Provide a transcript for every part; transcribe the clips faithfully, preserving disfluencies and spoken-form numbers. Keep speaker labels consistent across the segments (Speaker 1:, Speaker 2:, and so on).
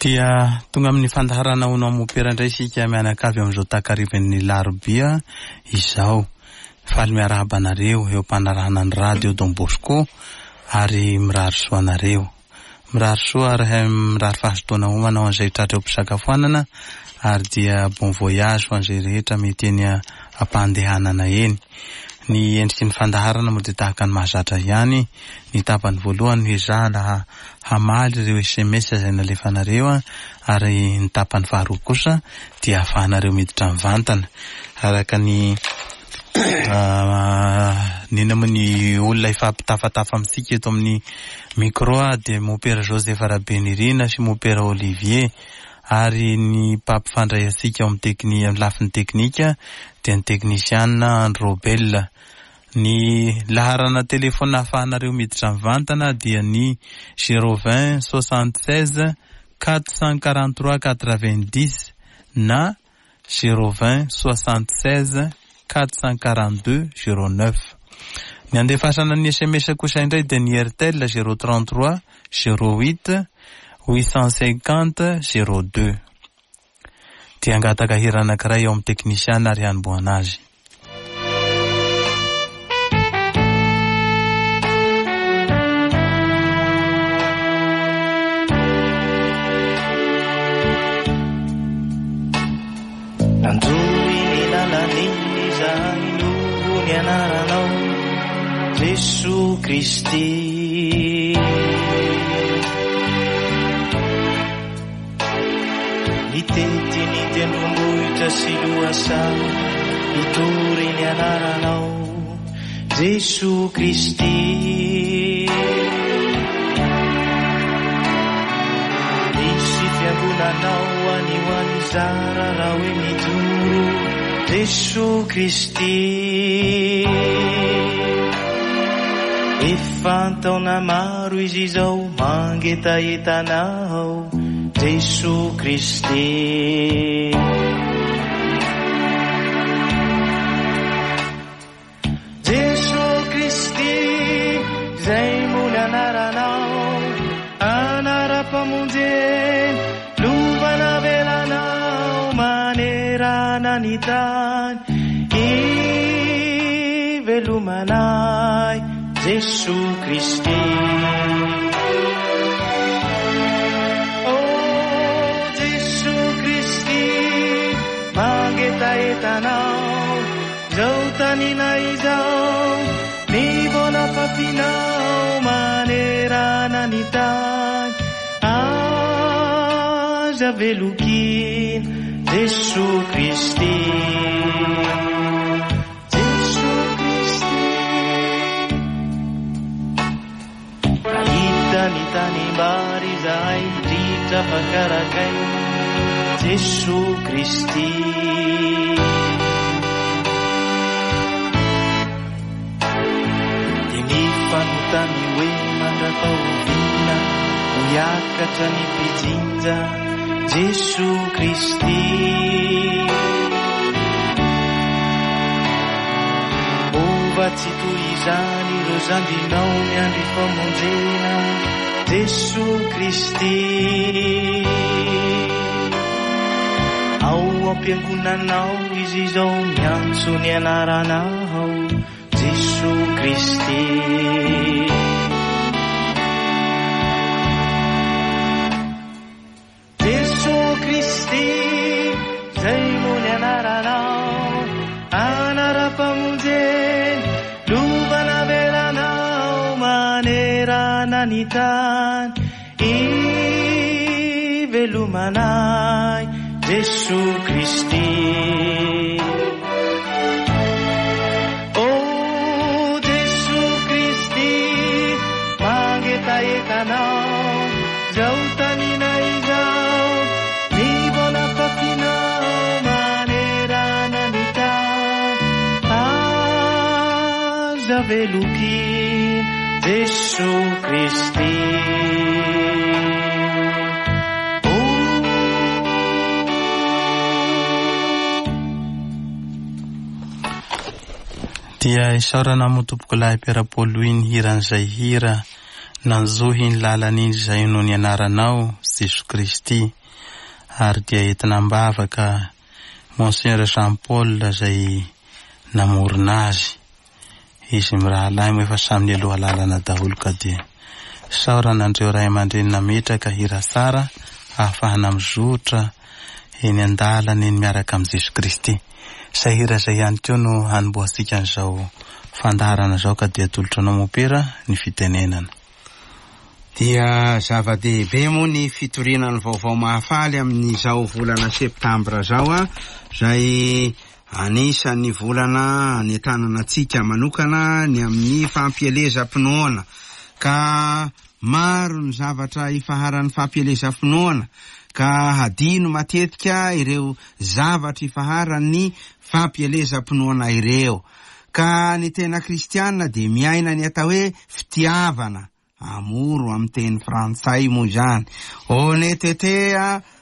Speaker 1: Dia tonga amin'ny fandaharana ho anao mopera indray isika mianakavy amin'izao takarivan'ny larobia izao. Faly miarahaba anareo eo am-panarahana ny radio Don Bosco ary mirary soa anareo. Mirary soa ary mirary fahazotoana homana ho an'izay tratra eo am-pisakafoanana ary dia bon voyage ho an'izay rehetra mety eny am-pandehanana eny. Ny endriky ny fandaharana moa dia tahaka ny mahazatra ihany. Ny tapany voalohany no ezahana hamaly ireo S M S izay nalefanareo, ary ny tapany faharoa kosa dia ahafahanareo miditra mivantana. Araka ny nina moa ny olona ifampitafatafa amintsika eto amin'ny micro dia Mopera Joseph Rabenirina sy Mopera Olivier, ary ny mpampifandray antsika ao amin'ny tekni-, amin'ny lafiny teknika dia ny teknisiana Andro Robel. Ny laharana telefona ahafahanareo miditra mivantana dia ny zéro vingt soixante seize quatre cent quarante trois quatre vingt dix na zéro vingt soixante seize quatre cent quarante deux zéro neuf. Ny andefasana ny S M S kosa indray dia ny Airtel zéro trente trois zéro huit huit cent cinquante zéro deux. Dia angataka hira anankiray eo amin'ny teknisiana ary hanombohana azy.
Speaker 2: Nanjohy ny lalan'iny izahay noho ny anaranao Jesoa Kristy. Nitety ny tendrombohitra sy lohasaha hitory ny anaranao Jesoa Kristy. Nisy fiangonanao any ho any zara raha hoe mijoro Jesoa Kristy. Efa an-taona maro izy izao mangetahetanao Jesoa Kristy. Jesoa Kristy izay moa ny anaranao, anaram-pamonjena lovana velanao manerana ny tany ivelomanay Jesoa Kristy. Mangetahetanao zao tanina izao ny vola fafinao manerana ny tany aza velokina Jesoa Kristy. Jesoa Kristy. Nahita ny tanimbary izahay ritra fakarakay Jesoa Kristy. Dia nifanontany hoe mandra-pahoviana ho hiakatra ny mpijinja Jesoa Kristy. Mova tsy toy izany ireo zandrinao miandry famonjena Jesoa Kristy. Ao am-piangonanao izy izao miantso ny anaranao Jesoa Kristy. Jesoa Kristy izay moa ny anaranao, anaram-pamonjena lovana velanao manerana ny tany ivelomanay Jesoa Kristy. Oh Jesoa Kristy mangetahetanao zao tanina izao ny vola fafinao manerana ny tany aza velokina Jesoa Kristy.
Speaker 1: Dia isaorana moa tompokolahy Piera Paul Louis ny hiran'izay hira nanjohy ny lalana iny izay no ny anaranao Jesoa Kristy. Ary dia entina am-bavaka Monseigneur Jean Paul izay namorona azy. Izy mirahalahy moa efa samy nialoha lalana daholo ka dia saorana andreo ray aman-dreny nametraka hira tsara ahafahana mizotra eny an-dalana eny miaraka amin'i Jesoa Kristy. Izay hira izay ihany koa no hanombohantsika an'izao fandaharana izao ka dia atolotra anao mopera ny fitenenana.
Speaker 3: Dia zava-dehibe moa ny fitoriana ny vaovao mahafaly amin'izao volana septambra izao a, izay anisan'ny volana anentanana antsika manokana ny amin'ny fampielezam-pinoana. Ka maro ny zavatra ifaharan'ny fampielezam-pinoana, ka hadino matetika ireo zavatra ifaharan'ny fampielezam-pinoana ireo. Ka ny tena kristiana dia miaina ny atao hoe fitiavana, amour amin'ny teny frantsay moa izany, honnêteté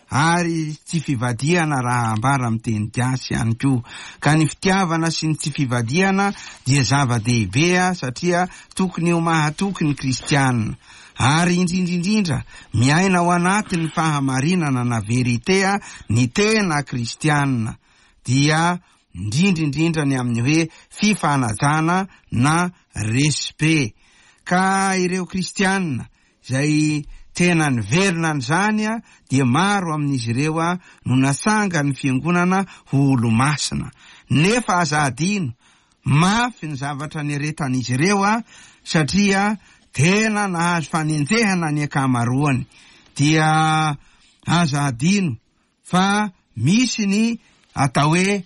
Speaker 3: ary tsy fivadihana raha ambara amin'ny teny gasy ihany koa. Ka ny fitiavana sy ny tsy fivadihana dia zava-dehibe satria tokony ho mahatoky ny kristiana. Ary indrindrindrindra miaina ao anatin'ny fahamarinana na vérité ny tena kristiana, dia indrindrindrindra ny amin'ny hoe fifanajana na respect. Ka ireo kristiana izay tena niverina an'izany a dia maro amin'izy ireo a no natsanga ny fiangonana ho olo-masina. Nefa aza adino mafy ny zavatra niaretan'izy ireo a satria tena nahazo fanenjehana ny ankamaroany. Dia aza adino fa misy ny atao hoe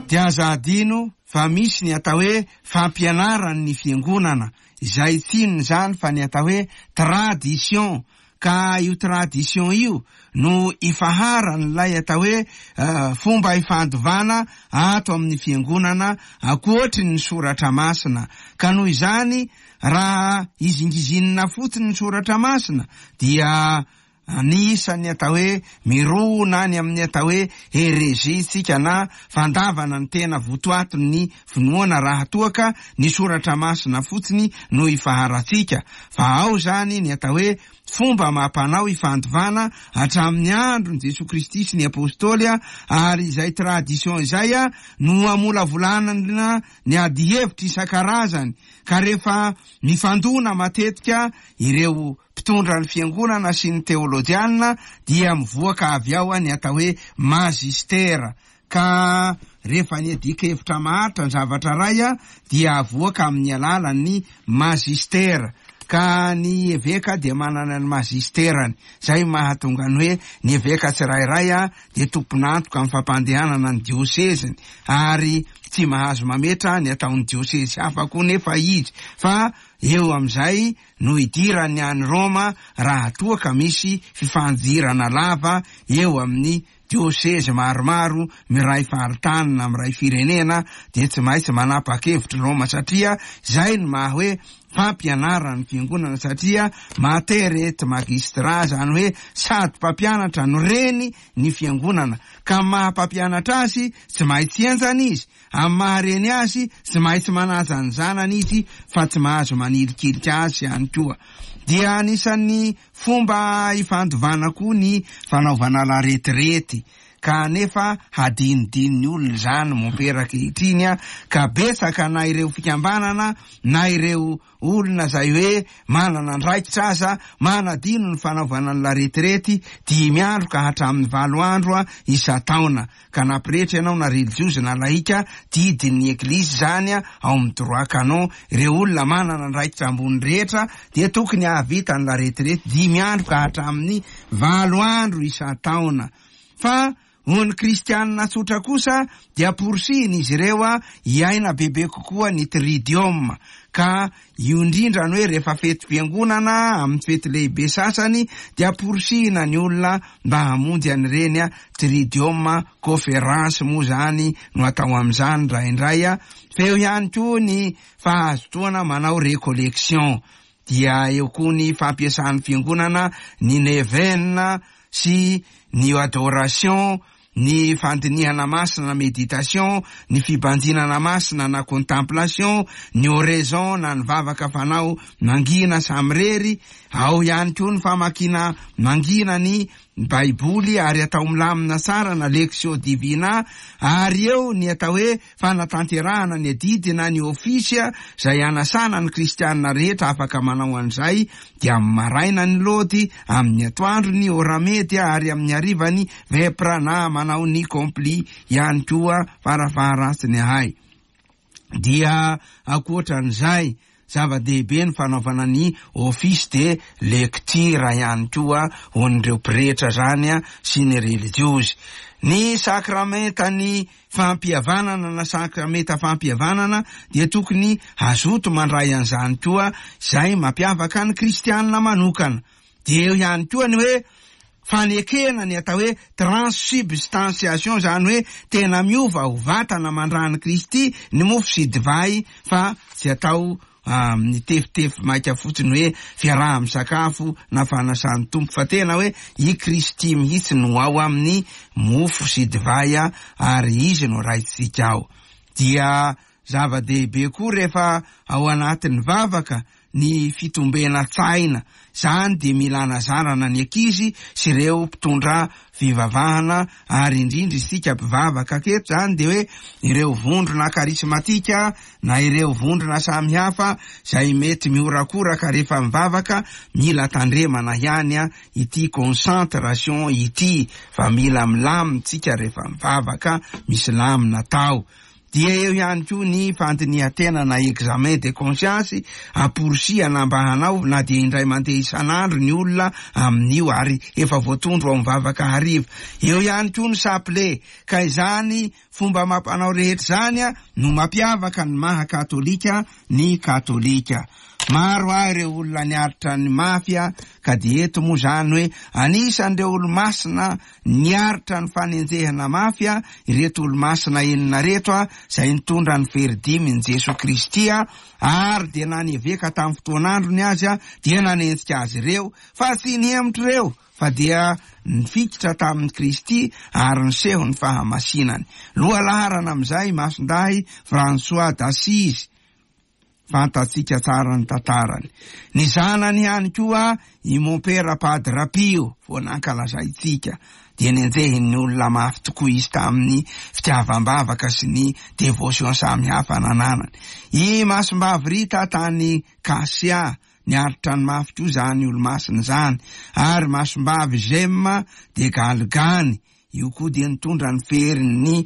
Speaker 3: dia aza adino fa misy ny atao hoe fampianaran'ny fiangonana, izay tsy inona izany fa ny atao hoe tradition. Ka io tradition io no ifaharan'ilay atao hoe fomba ifandovana ato amin'ny fiangonana ankoatry ny soratra masina. Ka noho izany raha izingizinina fotsiny ny soratra masina dia anisan'ny atao hoe mirona any amin'ny atao hoe hérésie tsika na fandavana ny tena votoatin'ny finoana raha toa ka ny soratra masina fotsiny no ifaharantsika. Fa ao zany ny atao hoe fomba mampanao ifandovana hatramin'ny andron'i Jesoa Kristy sy ny apôstôly, ary izay tradition izay no amolavolanana ny adihevitra isan-karazany. Ka rehefa mifandona matetika ireo mpitondra ny fiangonana sy ny teolojiana dia mivoaka avy ao ny atao hoe magistera. Ka rehefa ny adikevitra maharitra ny zavatra ray dia avoaka amin'ny alalan'ny magistera. Ka ny eveka dia manana ny magisterany, izay mahatonga ny hoe ny eveka tsirairay a dia tompon'antoka amin'ny fampandehanana ny dioseziny, ary tsy mahazo mametra ny ataon'ny diosezy hafa koa nefa izy, fa eo amin'izay no idirany any Roma raha toa ka misy fifandirana lava eo amin'ny diosezy maromaro miray faritany na miray firenena, dia tsy maintsy manapa-kevitra Roma, satria izay no maha hoe fampianaran'ny fiangonana, satria mater et magistra, zany hoe sady mpampianatra no reny ny fiangonana. Ka maha mpampianatra azy tsy maintsy enjana izy, amin'ny maha reny azy tsy maintsy manaja ny zanany izy fa tsy mahazo manilikilika azy ihany koa. Dia anisan'ny fomba ifandovana koa ny fanaovana la retraite. Ka nefa hadinodin'ny olona izany mompera ankehitriny a, ka betsaka na ireo fikambanana na ireo olona izay hoe manana andraikitra aza manadino ny fanaovana ny la retraite dimy andro ka hatramin'ny valo andro a isan-taona. Ka na pretra ianao na religiozy na laika, didin'ny eglizy izany a ao amin'ny droit canon, ireo olona manana andraikitra ambony rehetra dia tokony hahavita ny la retraite dimy andro ka hatramin'ny valo andro isan-taona. Fa ho ny kristianina tsotra kosa dia porisihina izy ireo a hiaina bebe kokoa ny tridium. Ka io indrindra ny hoe rehefa fetim-piangonana amin'ny fety lehibe sasany dia porisihina ny olona mba hamonjy an'ireny a tridium conférence moa zany no atao amin'izany indraindray a. Fa eo ihany koa ny fahazotoana manao récollection, dia eo koa ny fampiasan'ny fiangonana ny neuvaine sy ny adoration ny fandinihana masina méditation, ny fibanjinana masina na contemplation, ny oraison na ny vavaka fanao mangina samirery, ao ihany koa ny famakiana mangina ny Baiboly ary atao milamina tsara na lectio divina, ary eo ny atao hoe fanatanterahana ny adidy na ny ofisy izay anasana ny kristianina rehetra afaka manao an'izay, dia amin'ny maraina ny lody, amin'ny atoandro ny oramedy ary amin'ny hariva ny vepra na manao ny compli ihany koa farafaharatsiny ahay. Dia ankoatran'izay, zava-dehibe ny fanaovana ny office de lecture ihany koa ho an'ireo pretra zany a sy ny religiozy. Ny sakramenta ny fampihavanana na sakramenta fampihavanana dia tokony hazoto mandray an'izany koa, izay mampiavaka ny kristianina manokana. Dia eo ihany koa ny hoe fanekena ny atao hoe transsubstantiation, zany hoe tena miova ho vatana mandran'i Kristy ny mofo sy divay, fa tsy atao amin'ny tefitefy maika fotsiny hoe fiaraha misakafo na fanasan'ny Tompo, fa tena hoe i Kristy mihitsy no ao amin'ny mofo sy divay ary izy no raitsika ao. Dia zava-dehibe koa rehefa ao anatin'ny vavaka ny fitombena-tsaina, zany dia mila anazarana ny ankizy sy ireo mpitondra fivavahana, ary indrindra isika mpivavaka aketo zany dia hoe ireo vondrona karismatika na ireo vondrona samihafa izay mety miorakoraka rehefa mivavaka, mila tandremana ihany a ity concentration ity, fa mila milamina rehefa mivavaka, misy lamina tao. Dia eo ihany koa ny fandinihan-tena na examen de conscience, amporisiana mba hanao na dia indray mandeha isan'andro ny olona amin'io, ary efa voatondro ao mivavaka hariva. Eo ihany koa ny chapelet, ka izany fomba mampanao rehetra izany a no mampiavaka ny maha katolika ny katolika. Maro ahy ireo olona niaritra ny mafia, ka dia eto moa zany hoe anisan'ireo olo-masina niaritra ny fanenjehana mafia ireto olo-masina enina reto a, izay nitondra ny fery dimy ny Jesoa Kristy a, ary dia na ny eveka tamin'ny fotoan'androny azy a dia nanenjika azy ireo, fa tsy nihemotra ireo fa dia nifikitra tamin'ny Kristy ary niseho ny fahamasinany. Lohalaharana amin'izay Masindahy François d'Assise, fantatsika tsara ny tantarany. Ny zanany ihany koa i Mompera Padre Pio vao nankalazaintsika, dia nenjehin'ny olona mafy tokoa izy tamin'ny fitiavam-bavaka sy ny dévotion samihafa nananany. I Masimbavy Rita tany Kasia, niaritra ny mafy koa zany olo-masina zany, ary Masimbavy Gemma de Galgani, io koa dia nitondra ny ferin'ny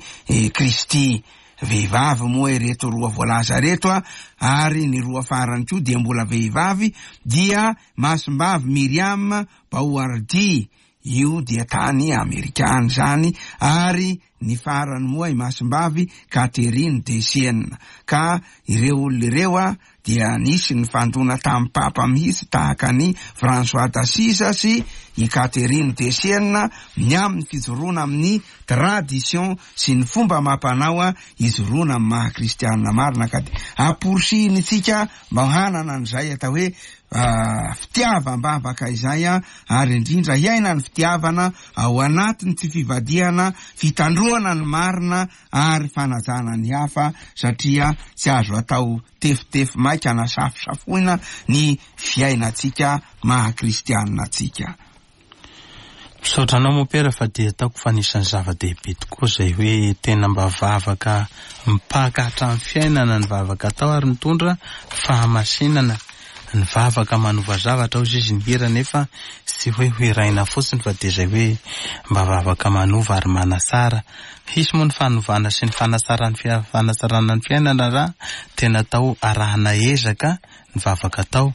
Speaker 3: Kristy. Vehivavy moa ireto roa voalaza reto a, ary ny roa farany koa dia mbola vehivavy, dia Masimbavy Miriam Baouardy, io dia tany Amerikana zany, ary ny farany moa i Masimbavy Catherine de Sienne. Ka ireo olona ireo a dia nisy ny fandona tamin'ny papa mihitsy tahaka ny François d'Assise sy i Catherine de Sienne, ny amin'ny fijoroana amin'ny tradition sy ny fomba mampanao a ijoroana amin'ny maha kristianina marina. Ka dia amporisihiny-tsika mba hanana an'izay atao hoe fitiavam-bavaka izay a, ary indrindra hiaina ny fitiavana ao anatin'ny tsy fivadihana, fitandroana ny marina ary fanajana ny hafa, satria tsy azo atao tefitefy maika na safosafoina ny fiainantsika maha kristianina antsika.
Speaker 1: Misaotra anao Mompera, fa dia ataoko fa anisan'ny zava-dehibe tokoa izay hoe tena mba vavaka mipaka hatramin'ny fiainana ny vavaka atao, ary mitondra fahamasinana. Ny vavaka manova zavatra hoy izy ny hira, nefa tsy hoe hiraina fotsiny fa dia izay hoe mba vavaka manova ary manasara. Hisy moa ny fanovana sy ny fanasaran'ny fia-, fanasarana ny fiainana raha tena atao arahana ezaka ny vavaka atao.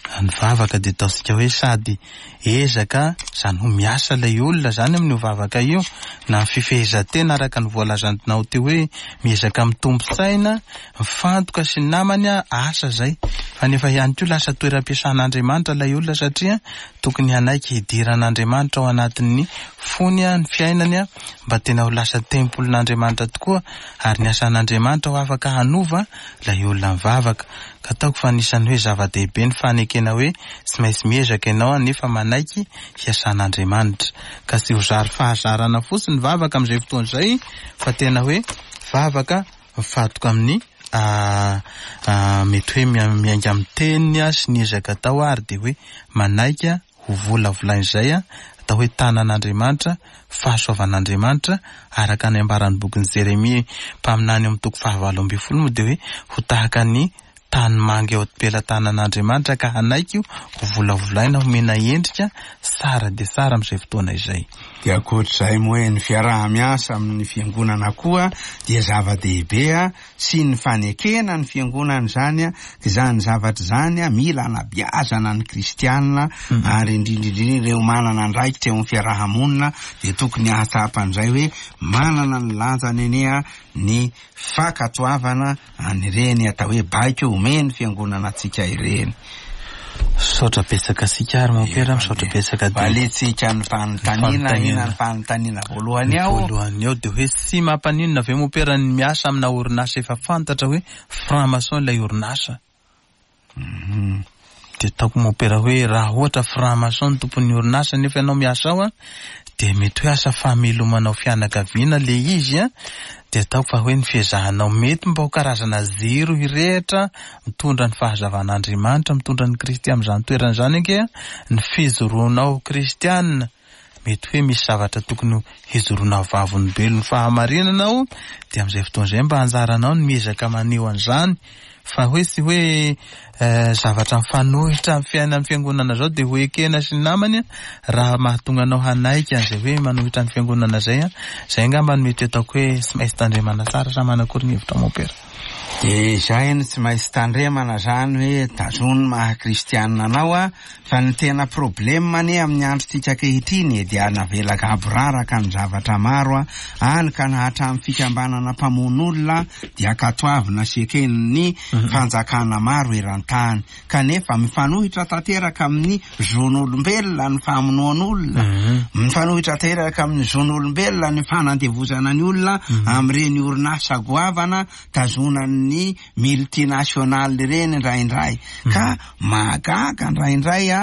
Speaker 1: Ny vavaka dia ataontsika hoe sady ezaka, izany hoe miasa ilay olona izany amin'io vavaka io, na ny fifehezan-tena araka ny voalazanao teo hoe miezaka mitombo saina, mifantoka sy ny namany a, asa izay. Fa nefa ihany koa lasa toeram-piasan'Andriamanitra ilay olona, satria tokony hanaiky hidiran'Andriamanitra ao anatin'ny fony a, ny fiainany a, mba tena ho lasa tempolin'Andriamanitra tokoa, ary ny asan'Andriamanitra ho afaka hanova ilay olona mivavaka. Ka ataoko fa anisan'ny hoe zava-dehibe ny fanekena hoe tsy maintsy miezaka ianao nefa manaiky hiasan'Andriamanitra. Ka tsy ho zary fahazarana fotsiny ny vavaka amin'izay fotoana izay, fa tena hoe vavaka mifantoka amin'ny mety hoe miainga amin'ny teniny sy ny ezaka atao, ary dia hoe manaiky ho volavolain'izay atao hoe tanan'Andriamanitra, fahasoavan'Andriamanitra, araka ny ambaran'ny bokin'i Jeremia mpaminany amin'ny toko fahavalo ambin'ny folo moa dia hoe ho tahaka ny tany manga eo am-pelatanan'Andriamanitra ka hanaiky ho volavolaina homena endrika tsara dia tsara amin'izay fotoana izay.
Speaker 3: Dia ankoatr'izay moa hoe ny fiaraha-miasa amin'ny fiangonana koa dia zava-dehibe sy ny fanekena ny fiangonana izany, izany zavatra izany mila anabeazana ny kristianina, ary indrindra indrindra ireo manana andraikitra eo amin'ny fiaraha-monina dia tokony hahatsapa an'izay hoe manana ny lanjany anie ny fankatoavana an'ireny atao hoe baiko omeny fiangonana antsika ireny.
Speaker 1: Misaotra betsaka antsika ary mompera, misaotra betsaka.
Speaker 3: Valintsika ny fanontaniana, inona ny fanontaniana voalohany ao?
Speaker 1: Voalohany ao dia hoe tsy mampaninona ve mompera ny miasa amina orinasa efa fantatra hoe franc-maçon ilay orinasa? Dia ataoko mompera hoe raha ohatra franc-maçon ny tompon'ny orinasa nefa ianao miasa ao, dia mety hoe asa famelomanao fianakaviana le izy, dia ataoko fa hoe ny fiezahanao mety mba ho karazana jiro hirehitra mitondra ny fahazavan'Andriamanitra, mitondra ny Kristy amin'izany toerana izany ange, ny fijoroanao kristianina mety hoe misy zavatra tokony hijoroana vavolombelon'ny fahamarinana ao, dia amin'izay fotoana izay mba anjaranao ny miezaka maneho an'izany, fa hoe tsy hoe zavatra mifanohitra amin'ny fiainan'ny fiangonana zao dia ho ekena sy ny namany raha mahatonga anao hanaiky an'izay hoe manohitra ny fiangonana zay, zay angamba no mety ataoko hoe tsy maintsy tandremana tsara. Sa manakory ny hevitra mompera?
Speaker 3: Dia izay no tsy maintsy tandremana zany hoe tazony maha kristianina anao, fa ny tena problème anie amin'ny androntsika ankehitriny dia navela gaboraraka ny zavatra maro any ka na hatramin'ny fikambanana mpamono olona dia ankatoavina sy eken'ny fanjakana maro eran-tany, kanefa mifanohitra tanteraka amin'ny zon'olombelona ny famonoan'olona, mifanohitra tanteraka amin'ny zon'olombelona ny fanandevozana ny olona amin'ireny orinasa goavana tazonan'ny multinational ireny indraindray. Ka mahagaga indraindray a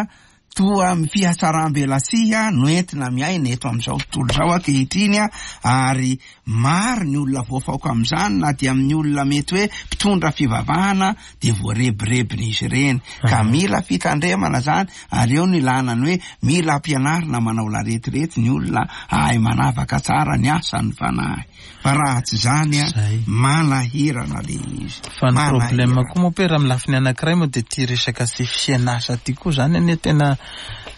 Speaker 3: toa fihatsaram-belatsihy no entina miaina eto amin'izao tontolo izao ankehitriny, ary maro ny olona voafaoka amin'izany, na dia amin'ny olona mety hoe mpitondra fivavahana dia voarebirebin'izy ireny. Ka mila fitandremana zany, ary eo ny ilana ny hoe mila ampianarina manao laretirety ny olona ahay manavaka tsara ny asan'ny fanahy, fa raha tsy zany a manahirana le izy.
Speaker 1: Fa ny problème koa mompera amin'ny lafiny anankiray moa dia ty resaka sy fianasa ty koa zany anie tena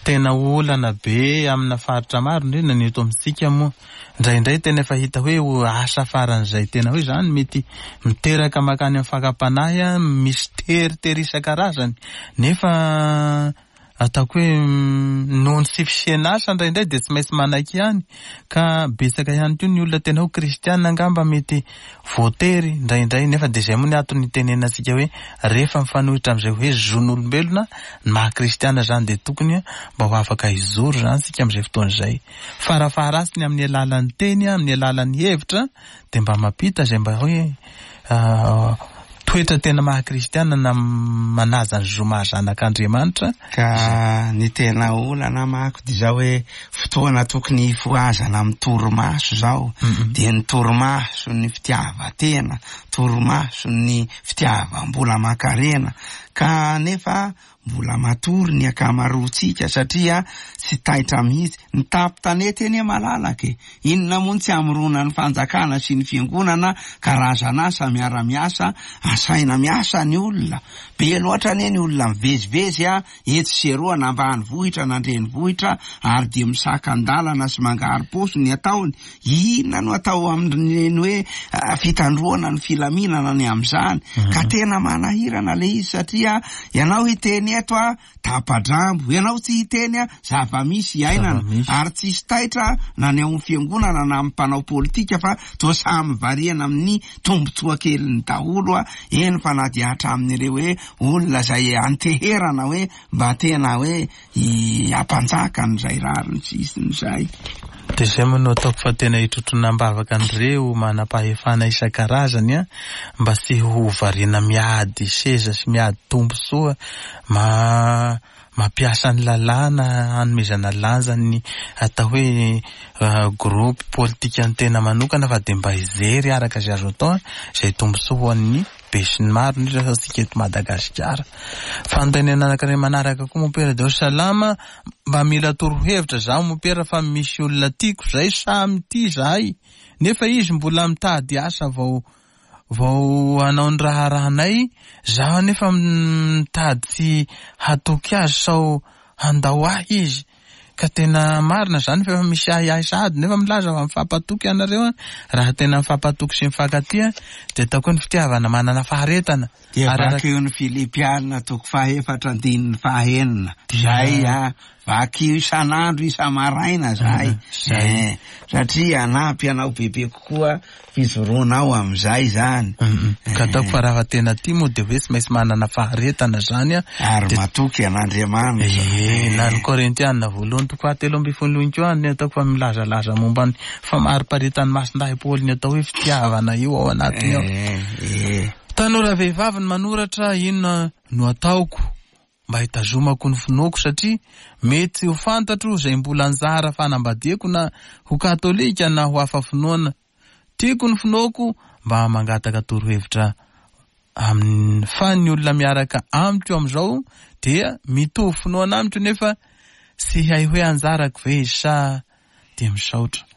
Speaker 1: tena olana be amina faritra maro, indrindra ny eto amintsika moa. Indraindray tena efa hita hoe asa faran'izay tena hoe zany mety miteraka makany amin'ny fakam-panahy, misy teritery isan-karazany, nefa ataoko hoe noho ny tsy fisian'asa indraindray dia tsy maintsy manaiky ihany. Ka betsaka ihany koa ny olona tena ho kristianina angamba mety voatery indraindray, nefa dia izay moa ny antony itenenantsika hoe rehefa mifanohitra amin'izay hoe zon'olombelona ny maha kristianina zany dia tokony mba ho afaka hijoro zany tsika amin'izay fotoana izay. Farafaharatsiny amin'ny alalan'ny teny, amin'ny alalan'ny hevitra, dia mba mampita izay mba hoe toetra tena maha kristianina na manaja ny zo maha zanak'Andriamanitra.
Speaker 3: Ka ny tena olana manko dia zao hoe fotoana tokony hifohazana amin'ny torimaso zao, dia ny torimaso ny fitiavan-tena, torimaso ny fitiavam-bola aman-karena, ka nefa mbola matory ny ankamaroantsika satria tsy taitra mihitsy. Ny tampon-tanety anie malalaka e, inona moa ny tsy hamorona ny fanjakana sy ny fiangonana karazan'asa miara-miasa, asaina miasa ny olona. Be loatra anie ny olona mivezivezy a etsy sy eroa, na ambanivohitra na an-drenivohitra, ary dia misakan-dalana sy mangaro-paosy ny ataony. Inona no atao amin'ny hoe fitandroana ny filaminana ny amin'izany? Ka tena manahirana le izy satria ianao hiteny eto a tapa-drambo, ianao tsy hiteny a zava-misy iainana, ary tsisy taitra na ny ao amin'ny fiangonana na amin'ny mpanao politika, fa toa samy variana amin'ny tombontsoa keliny daholo a eny, fa na dia hatramin'ireo hoe olona izay anteherana hoe mba tena hoe hampanjaka an'izay rariny sy hitsiny izay.
Speaker 1: Dia izay moa no ataoko fa tena hitrotrona am-bavaka an'ireo manam-pahefana isan-karazany a, mba tsy ho variana miady seza sy miady tombontsoa, ma mampiasa ny lalàna hanomezana lanja ny atao hoe groupe politika ny tena manokana, fa dia mba hijery araka izay azo atao izay tombontsoa ho an'ny be sy ny maro, indrindra fa tsika eto Madagasikara. Fanontaniana anankiray manaraka koa mompera dia salama, mba mila torohevitra zaho mompera fa misy olona tiako zay samy tia zahay, nefa izy mbola mitady asa vao vao hanao ny raharahanay, zaho nefa mitady tsy hatoky azy sao handao ahy izy. Ka tena marina zany fa efa misy ahiahy sahady, nefa milaza fa mifampatoky ianareo, raha tena mifampatoky sy mifankatia dia atao koa ny fitiavana manana faharetana.
Speaker 3: Dia vakio ny Filipiana toko fahaefatra andininy fahaenina. Zay a, vakio isan'andro isa-maraina zay.
Speaker 1: Zay.
Speaker 3: Satria hanampy anao bebe kokoa fijoroanao amin'izay zany.
Speaker 1: Ka ataoko fa raha tena tia moa dia hoe tsy maintsy manana faharetana zany a.
Speaker 3: Ary matoky an'Andriamanitra.
Speaker 1: Eh, na ny Korintiana voalohany toko fahatelo ambin'ny folo ihany koa ny ataoko fa milazalaza momba ny famariparitany Masindahy Paoly ny atao hoe fitiavana io ao anatiny ao.
Speaker 3: Eh, eh.
Speaker 1: Tanora vehivavy ny manoratra, inona no ataoko mba hitazomako ny finoako, satria mety ho fantatro izay mbola anjara fanambadiako na ho katolika na ho hafa finoana. Tiako ny finoako, mba mangataka torohevitra amin'ny fa ny olona miaraka amiko amin'izao dia mitovy finoana amiko, nefa tsy hay hoe anjarako ve izy sa dia misaotra.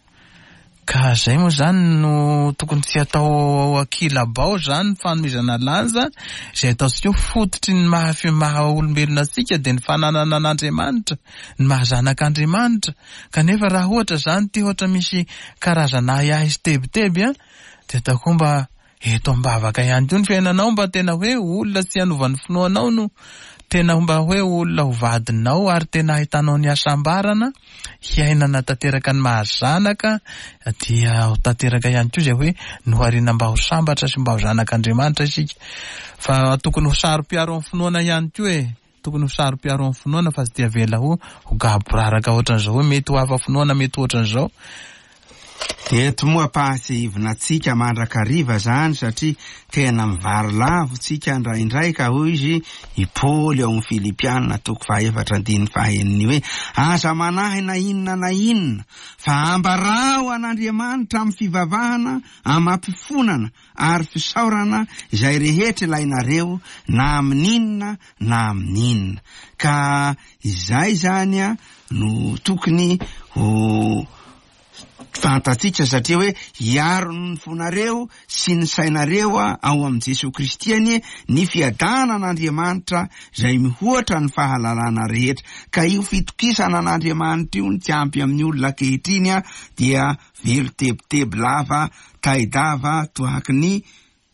Speaker 1: Ka zay moa zany no tokony tsy atao ankilabao zany fanomezana lanja izay ataontsika hoe fototry ny maha maha olombelona antsika dia ny fananana an'Andriamanitra, ny maha zanak'Andriamanitra. Kanefa raha ohatra zany ty ohatra misy karazana ahiahy sy tebiteby a, dia atao koa mba eto am-bavaka ihany koa ny fiainanao, mba tena hoe olona tsy hanova ny finoanao no tena mba hoe olona ho vadinao, ary tena ahitanao ny hasambarana hiainana tanteraka ny mahazanaka, dia ho tanteraka ihany koa izay hoe nohariana mba ho sambatra sy mba ho zanak'Andriamanitra isika. Fa tokony ho saro-piaro amin'ny finoana ihany koa e, tokony ho saro-piaro amin'ny finoana fa tsy dia avela ho ho gaboraraka ohatran'izao hoe mety ho hafa finoana, mety ho ohatran'izao.
Speaker 3: Eto moa ampahatsiahivina antsika mandrakariva zany, satria tena mivarilavo tsika indraindray, ka hoy izy i Paoly ao amin'ny Filipiana toko fahaefatra andininy fahaeniny hoe: aza manahy na inona na inona, fa ambarao an'Andriamanitra amin'ny fivavahana, amam-pifonana ary fisaorana izay rehetra ilainareo, na amin'inona na amin'inona. Ka izay zany a no tokony ho fantatsika, satria hoe hiaro ny fonareo sy ny sainareo a ao amin'i Jesoa Kristy anie ny fiadanan'Andriamanitra izay mihoatra ny fahalalana rehetra. Ka io fitokisana an'Andriamanitra io ny tsy ampy amin'ny olona ankehitriny a, dia velo tebiteby lava taidava toaky ny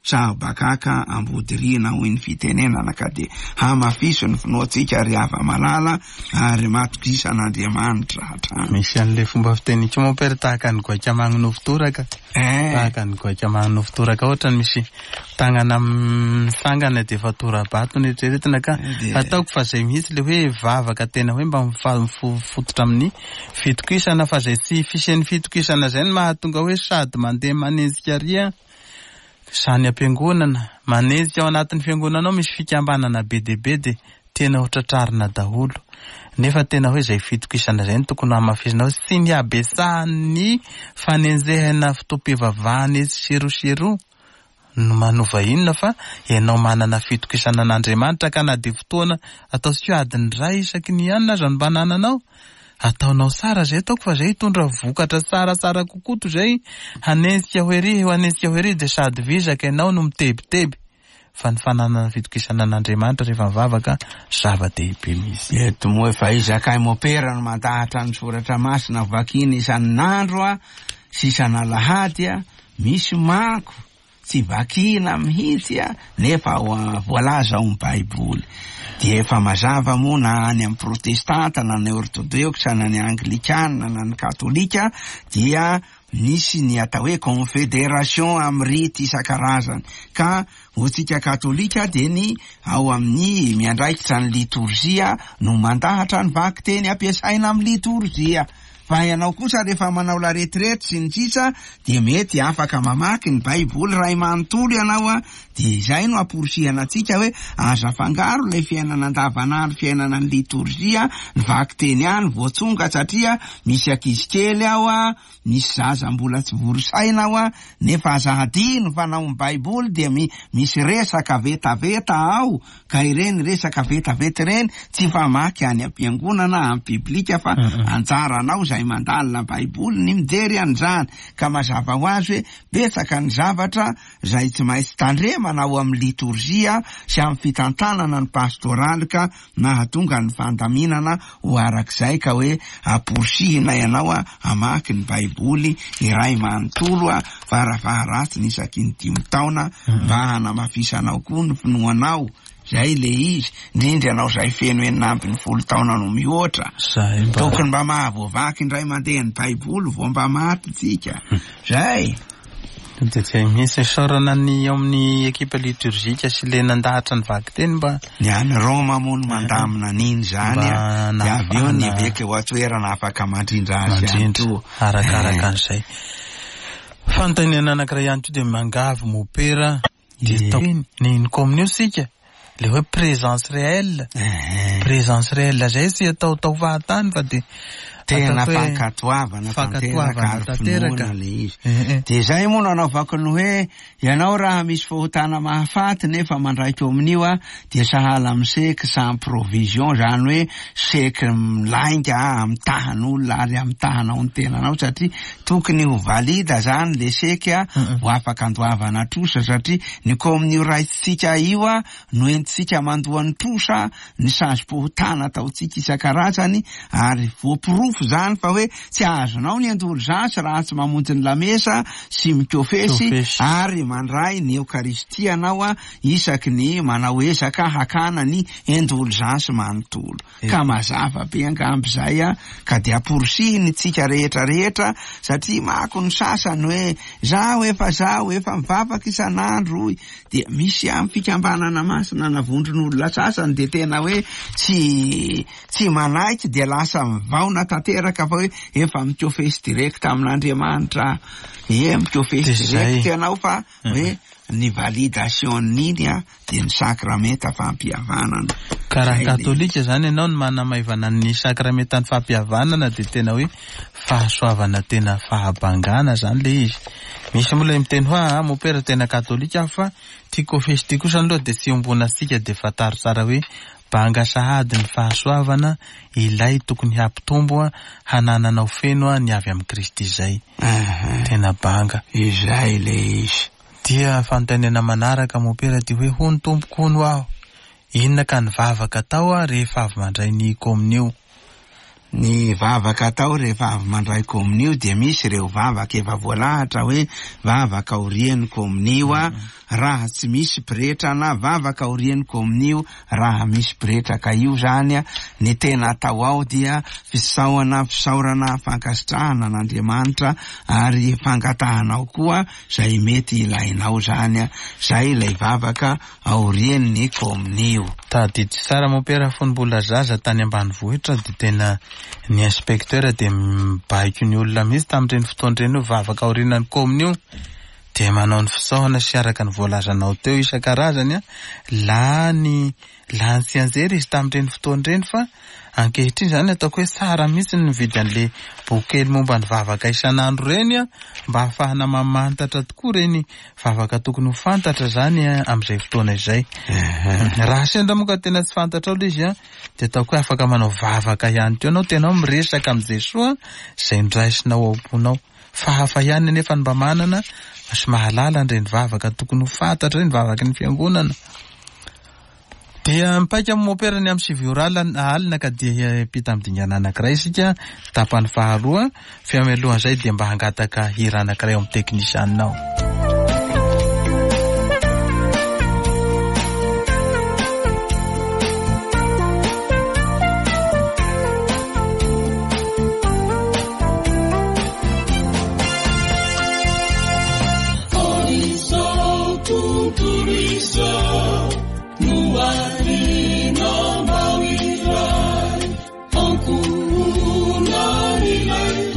Speaker 3: sahobakaka ambodiriana hoy ny fitenenana. Ka dia hamafiso ny finoantsika ry hava-malala, ary matokisana Andriamanitra hatrany.
Speaker 1: Misy an'ilay fomba fiteny koa mompera, tahaka ny goaika magnonofy toraka.
Speaker 3: Eh.
Speaker 1: Tahaka ny goaika magnonofy toraka, ohatra ny misy tanana misangana dia efa tora-bato ny eritreretina, ka
Speaker 3: Dia-
Speaker 1: ataoko fa zay mihitsy le hoe vavaka tena hoe mba mifa- mifototra amin'ny fitokisana, fa zay tsy fisian'ny fitokisana zay no mahatonga hoe sady mandeha manenjika aria sany am-piangonana, manenjika ao anatin'ny fiangonana ao misy fikambanana be dia be dia tena ho tratrarina daholo. Nefa tena hoe izay fitokisana izay no tokony hamafisina, hoe tsy ny habetsahan'ny fanenjehana fotoam-pivavahana etsy sy eroa sy eroa no manova inona, fa ianao manana fitokisana an'Andriamanitra, ka na dia fotoana ataontsika hoe adiny iray isaky ny anina aza no mba anananao, ataonao tsara zay, ataoko fa zay hitondra vokatra tsaratsara kokoa toy izay hanenjika ho ery, hanenjika ho ery dia sady vizaka ianao no mitebiteby. Fa ny fananana fitokisana an'Andriamanitra rehefa mivavaka zava-dehibe mihitsy.
Speaker 3: Eto moa efa izakay mopera no mandahatra ny soratra masina vakina isan'andro a sy isan'alahady a, misy manko tsy vakina mihitsy a, nefa voalaza ao amin'ny Baiboly. Dia efa mazava moa na any amin'ny protestanta, na ny orthodoxe, na ny anglikana, na ny katolika, dia nisy ny atao hoe confédération amin'ny rity isan-karazany. Ka hoantsika katolika dia ny ao amin'ny miandraikitra ny litorjia no mandahatra ny vakiteny ampiasaina amin'ny litorjia. Fa ianao kosa rehefa manao la retraite sy ny sisa dia mety afaka mamaky ny Baiboly ray manontolo ianao a, dia izay no amporisihana antsika hoe aza afangaro ilay fiainana andavanandro, fiainana ny litorjia, ny vakiteny ihany voatsonga, satria misy ankizy kely ao a, misy zaza mbola tsy vory saina ao a, nefa aza hadino fa nao ny Baiboly dia mi-, misy resaka vetaveta ao, ka ireny resaka vetaveta ireny tsy famaky any am-piangonana amin'ny biblika fa anjaranao izay mandalina Baiboly ny mijery an'izany. Ka mazava ho azy hoe betsaka ny zavatra izay tsy maintsy tandremana ao amin'ny litorjia sy amin'ny fitantanana ny pastoraly ka nahatonga ny fandaminana ho arak'izay, ka hoe amporisihina ianao a hamaky ny Baiboly iray manontolo a farafaharatsiny isaky ny dimy taona mba hanamafisanao koa ny finoanao. Zay le izy, indrindra ianao izay feno enina ambin'ny folo taona no mihoatra.
Speaker 1: Zay mba
Speaker 3: Tokony mba mahavoavaky indray mandeha ny Baiboly vao mba maty tsika. Zay.
Speaker 1: Dia tsy misy isaorana ny eo amin'ny ekipa liturgique sy le nandahatra ny vakiteny mba
Speaker 3: Ny any Roma moa no mandamina an'iny zany a.
Speaker 1: Mba
Speaker 3: Dia avy eo ny
Speaker 1: nahafahana
Speaker 3: eveka eo an-toerana afaka mandrindra azy ihany
Speaker 1: mandrindra
Speaker 3: koa.
Speaker 1: arakaraka an'izay. Fanontaniana anankiray ihany koa dia mangavy mopera dia
Speaker 3: Ie.
Speaker 1: tao ny ny kominio sika le hoe présence réelle.
Speaker 3: Eh.
Speaker 1: Présence réelle zay tsy ataotao fahatany fa dia
Speaker 3: Tena
Speaker 1: ataoko hoe
Speaker 3: fankatoavana
Speaker 1: fankatoavana
Speaker 3: tanteraka ary
Speaker 1: tanteraka.
Speaker 3: finoana le izy.
Speaker 1: Eh, eh.
Speaker 3: Dia zay moa no anaovako ny hoe ianao raha misy fahotana mahafaty nefa mandraiky eo amin'io a, dia sahala amin'ny seky sans provision, zany hoe seky milainga amitahan'olona ary amitahanao ny tenanao, satria tokony ho valida zany le seky a,
Speaker 1: Mm-mm.
Speaker 3: ho afaka andoavana trosa, satria ny kominio raitsika io a no entintsika mandoa ny trosa, ny sazim-pahotana ataontsika isan-karazany, ary voaporofo zany fa hoe tsy azonao ny indulgence raha tsy mamonjy ny lamesa sy mikofesy
Speaker 1: Mikofesy.
Speaker 3: ary mandray ny Eokaristia anao a, isaky ny manao ezaka hakana ny indulgence manontolo.
Speaker 1: Eh.
Speaker 3: Ka mazava be angamba izay a, ka dia amporisihiny tsika rehetra rehetra, satria mako ny sasany hoe zaho efa zaho efa mivavaka isan'andro hoy, dia misy amin'ny fikambanana masina na vondron'olona sasany dia tena hoe tsy, tsy manaiky, dia lasa mivaona tanteraka fa hoe efa mikofesy direct amin'Andriamanitra. Ie, mikofesy
Speaker 1: Dia izay.
Speaker 3: direct ianao fa hoe ny validation-n'iny a dia ny sakramenta fampihavanana.
Speaker 1: Ka raha
Speaker 3: Zay le
Speaker 1: katolika zany ianao no manamaivana ny sakramentan'ny fampihavanana dia tena hoe fahasoavana tena fahabangana zany le izy. Misy moa ilay miteny hoe ah, mopera tena katolika aho fa tia kofesy tia kosa aloha dia tsy iombonantsika, dia fantaro tsara hoe banga sahady ny fahasoavana ilay tokony hampitombo a, hanananao feno a, ny avy amin'i Kristy izay.
Speaker 3: Aha.
Speaker 1: Tena banga.
Speaker 3: Izay le izy.
Speaker 1: Dia fanontaniana manaraka mopera dia hoe hono tompoko hono aho, inona ka ny vavaka atao a rehefa avy mandray ny kominio?
Speaker 3: Ny vavaka atao rehefa avy mandray kominio dia misy ireo vavaka efa voalahatra hoe vavaka aorian'ny kominio a, raha tsy misy pretra, na vavaka aorian'ny kominio raha misy pretra. Ka io zany a, ny tena atao ao dia fisaorana, fisaorana, fankasitrahana an'Andriamanitra ary fangatahanao koa izay mety ilainao zany a. Zay ilay vavaka aorian'ny kominio.
Speaker 1: Tadidy tsara mopera fony mbola zaza tany ambanivohitra dia tena ny inspecteur dia mibaiko ny olona mihitsy tamin'ireny fotoana ireny hoe vavaka aorian'ny kominio, dia manao ny fisaorana sy araka ny voalazanao teo isan-karazany a, lany, lany tsy anjery izy tamin'ireny fotoana ireny. Fa ankehitriny zany ataoko hoe tsara mihitsy ny mividy an'le boky kely momba ny vavaka isan'andro ireny a, mba ahafahana mamantatra tokoa ireny vavaka tokony ho fantatra zany a, amin'izay fotoana izay. Raha sendra moa ka tena tsy fantatrao ilay izy a, dia ataoko hoe afaka manao vavaka ihany koa ianao, tena miresaka amin'i Jesoa izay niraisinao ao am-ponao. Fa hafa ihany anefa ny mba manana sy mahalala an'ireny vavaka tokony ho fantatra ireny, vavaky ny fiangonana. Dia mipaika amin'ny mopera ny amin'ny sivy ora alina, alina ka dia hiampita amin'ny dingana anankiray isika, tapany faharoa. Fa mialohan'izay dia mba hangataka hira anankiray ao amin'ny teknisianina ao.
Speaker 4: Ankohonan'ilay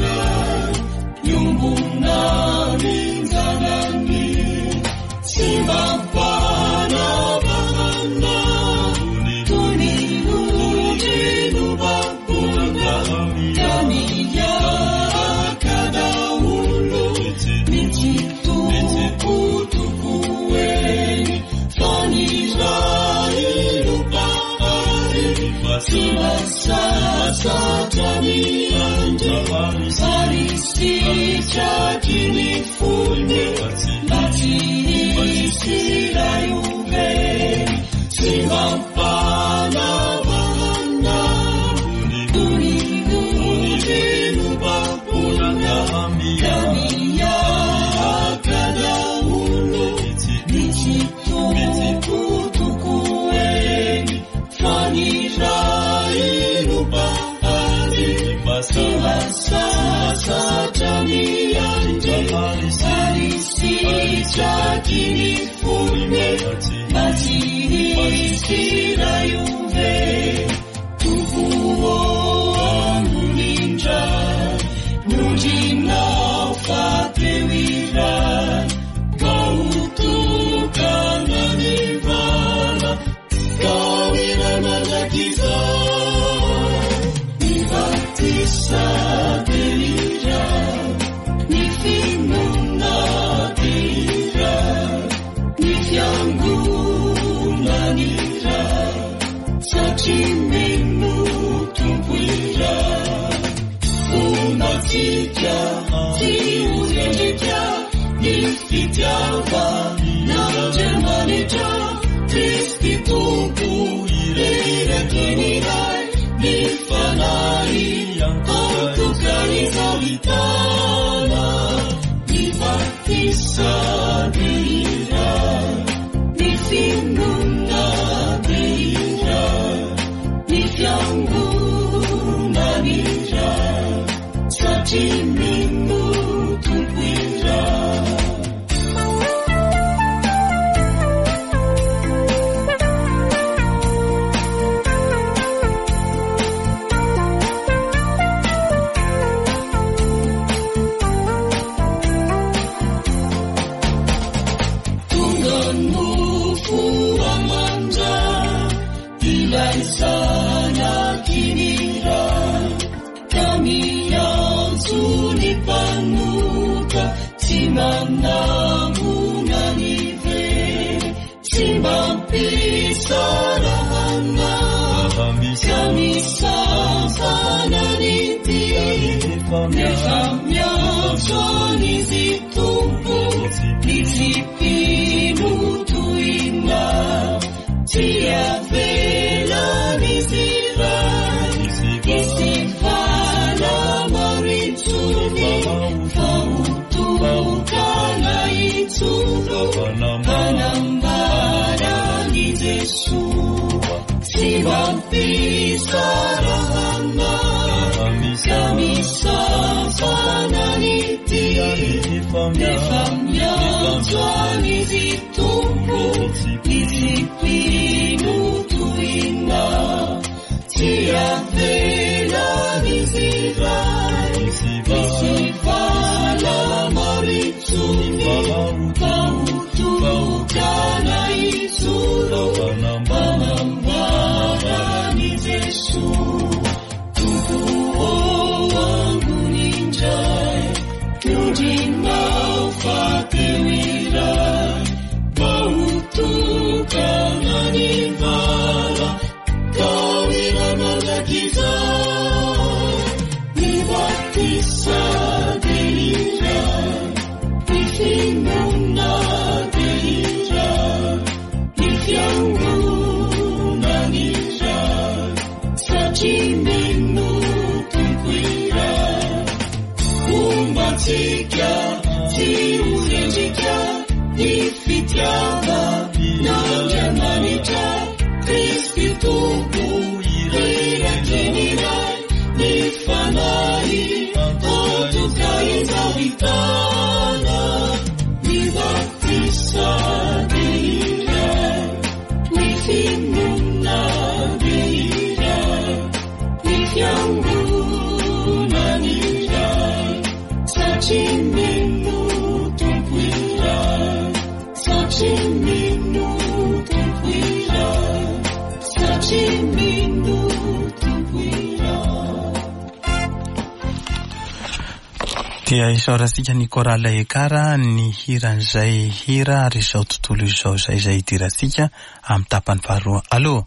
Speaker 1: Dia isaorantsika ny Chorale Ekara ny hiran'izay hira ary izao tontolo izao izay izay hidirantsika amin'ny tapany faharoa. Allô?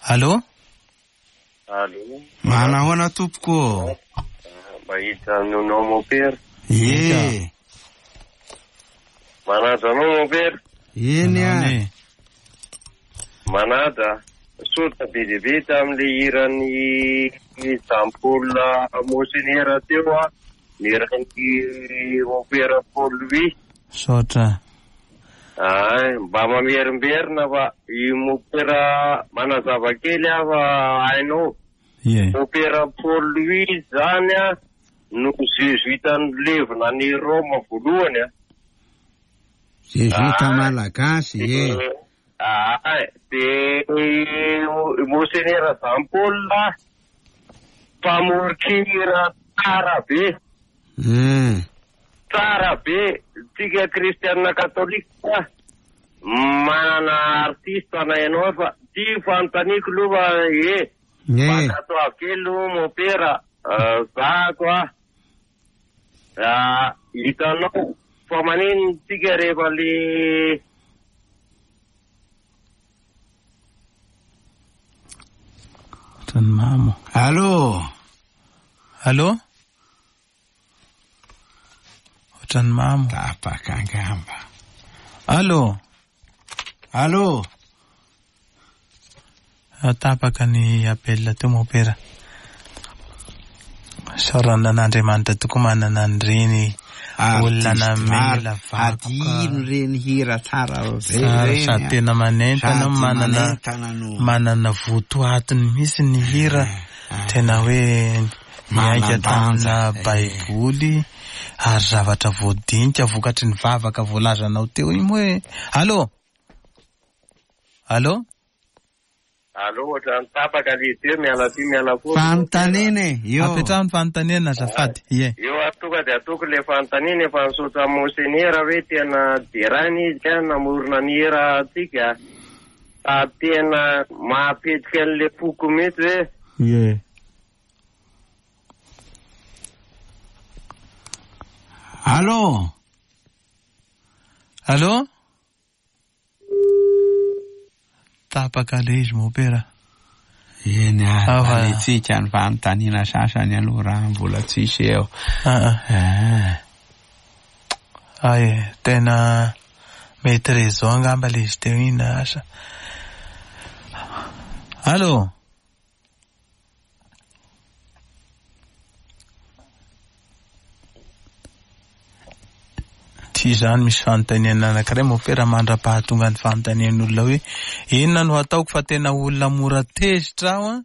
Speaker 1: Allô?
Speaker 4: Allô?
Speaker 3: Manahoana tompoko?
Speaker 4: Mahita anao mopera.
Speaker 3: Ie.
Speaker 4: Manaja anao mopera.
Speaker 3: Eny a.
Speaker 4: Manaja. Misaotra be dia be tamin'ilay hiran'ny Jean Paul Monseigneur teo a, ny hiran'ny Mopera Paul Louis.
Speaker 1: Misaotra.
Speaker 4: Ay, mba mamerimberina fa i Mopera manazava kely aho fa hainao.
Speaker 1: Ie.
Speaker 4: Mopera Paul Louis zany a, No jesuita nilevina any Roma voalohany a.
Speaker 3: Jesuita malagasy e.
Speaker 4: Ah, de Monseigneur Jean Paul mpamoron-kira tsara be.
Speaker 3: Mm.
Speaker 4: Tsara be, tsika kristianina katolika manana artiste na ianao fa ty fanontaniako aloha e. Mankatoavy kely aloha mopera zako a. Ah, hitanao fa manino tsika rehefa le
Speaker 1: Ohatran'ny mamo.
Speaker 3: Allô?
Speaker 1: Allô? Ohatran'ny mamo.
Speaker 3: Tapaka angamba.
Speaker 1: Allô?
Speaker 3: Allô?
Speaker 1: Tapaka ny appel teo mopera. Isaorana an'Andriamanitra tokoa manana an'ireny olona namela vakoka.
Speaker 3: Adino ireny hira tsara be
Speaker 1: Tsara
Speaker 3: ireny.
Speaker 1: sady tena manentana
Speaker 3: Sady
Speaker 1: manana
Speaker 3: manentana no.
Speaker 1: manana votoatiny mihitsy ny hira. Tena hoe miainga
Speaker 3: Manan-danja.
Speaker 1: tamina Baiboly ary zavatra voadinika vokatry ny vavaka voalazanao teo iny moa hoe. Allô? Allô?
Speaker 4: Allô, ohatran'ny tapaka le teo, miala ty miala koa.
Speaker 3: Fanontaniana e, io.
Speaker 1: Apetraho ny fanontaniana azafady. Ie.
Speaker 4: Io ary tonga dia ataoko le fanontaniana efa nisaotra Monseigneur hoe tena deraina izy a, namorona ny hira antsika. Fa tena mahapetrika an'le foko mihitsy hoe
Speaker 1: Ie.
Speaker 3: Allô?
Speaker 1: Allô? Tapaka le izy mopera.
Speaker 3: Eny
Speaker 1: Ah, va.
Speaker 3: ary tsika ny fanontaniana sasany aloha raha mbola tsisy eo.
Speaker 1: Ah, ah.
Speaker 3: Ah.
Speaker 1: Ay, tena mety réseau angamba le izy teo iny asa. Allô? Ty izany misy fanontaniana anankiray mopera mandra-pahatonga ny fanontanian'olona hoe inona no ataoko fa tena olona mora tezitra aho a,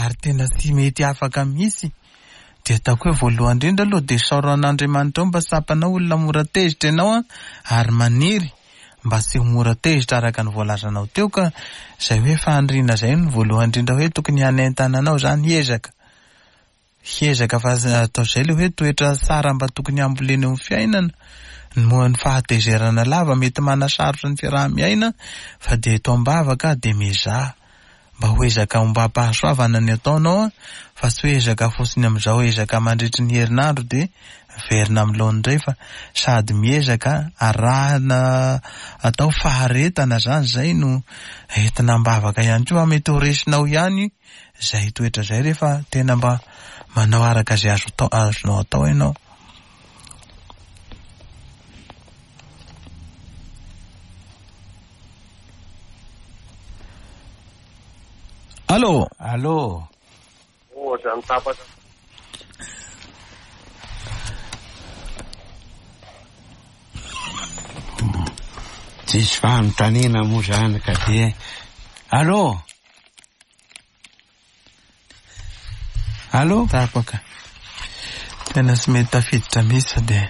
Speaker 1: ary tena tsy mety afaka mihitsy. Dia ataoko hoe voalohany indrindra aloha dia isaoran'Andriamanitra ao mba tsapanao olona mora tezitra ianao a, ary maniry mba tsy ho mora tezitra araka ny voalazanao teo ka izay hoe faniriana izay no voalohany indrindra hoe tokony hanentana anao izany hiezaka. Hiezaka fa atao izay le hoe toetra tsara mba tokony hambolena eo amin'ny fiainana. Moa ny fahatezerana lava mety manasarotra ny fiaraha-miaina fa dia eto am-bavaka dia mizaha mba ho ezaka ombam-pahasoavana ny ataonao a, fa tsy hoe ezaka fotsiny amin'izao ezaka mandritry ny herinandro dia verina amin'ny laoniny indray fa sady miezaka arahana atao faharetana zany izay no entina am-bavaka ihany koa mety ho resinao ihany izay toetra izay rehefa tena mba manao araka izay azo atao, azonao atao ianao. Allô?
Speaker 3: Allô?
Speaker 4: ohatran'ny tapaka.
Speaker 3: Tsisy fanontaniana moa zany ka dia. Allô? Allô?
Speaker 1: Tapaka. Tena tsy mety tafiditra mihitsy fa dia.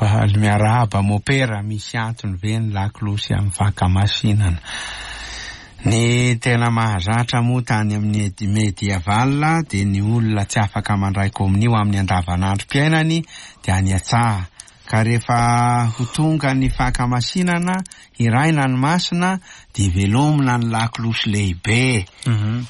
Speaker 3: Faly miarahaba mopera, misy antony ve ny lakolosy amin'ny fankamasinana? Ny tena mahazatra moa tany amin'ny medieval dia ny olona tsy afaka mandray kominio amin'ny andavanandrom-piainany dia any an-tsaha. Ka rehefa ho tonga ny fankamasinana, hiraina ny masina dia velomina ny lakolosy lehibe.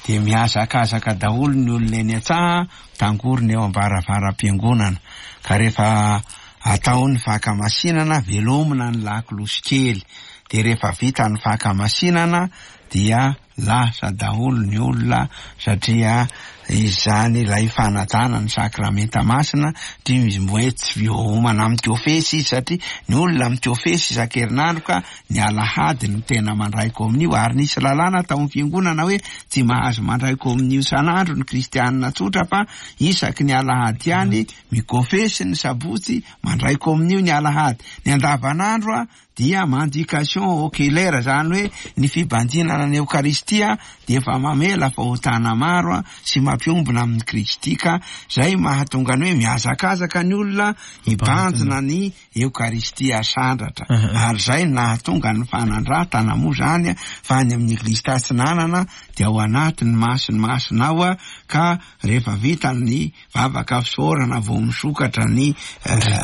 Speaker 3: Dia mihazakazaka daholo ny olona eny an-tsaha, tangorona eo am-baravaram-piangonana. Ka rehefa atao ny fankamasinana, velomina ny lakolosy kely. Dia rehefa vita ny fankamasinana dia lasa daholo ny olona satria izany ilay fanajana ny sakramenta masina, satria izy mbo hoe tsy voaomana mikofesy izy, satria ny olona mikofesy isan-kerinandro ka ny alahady no tena mandray kominio, ary nisy lalàna tao amin'ny fiangonana hoe tsy mahazo mandray kominio isan'andro ny kristianina tsotra fa isaky ny alahady ihany mikofesy ny sabotsy, mandray kominio ny alahady. Ny andavanandro a dia mendication oculaire, zany hoe ny fibanjinana ny Eokaristia dia efa mamela fahotana maro a sy mampiombona amin'ny Kristy, ka zay mahatonga ny hoe mihazakazaka ny olona hibanjina ny Eokaristia sandratra. Ary zay nahatonga ny fanandratana moa zany a, fa any amin'ny Eglizy Tatsinanana dia ao anatin'ny masiny masina ao a, ka rehefa vita ny vavaka fisaorana vao misokatra ny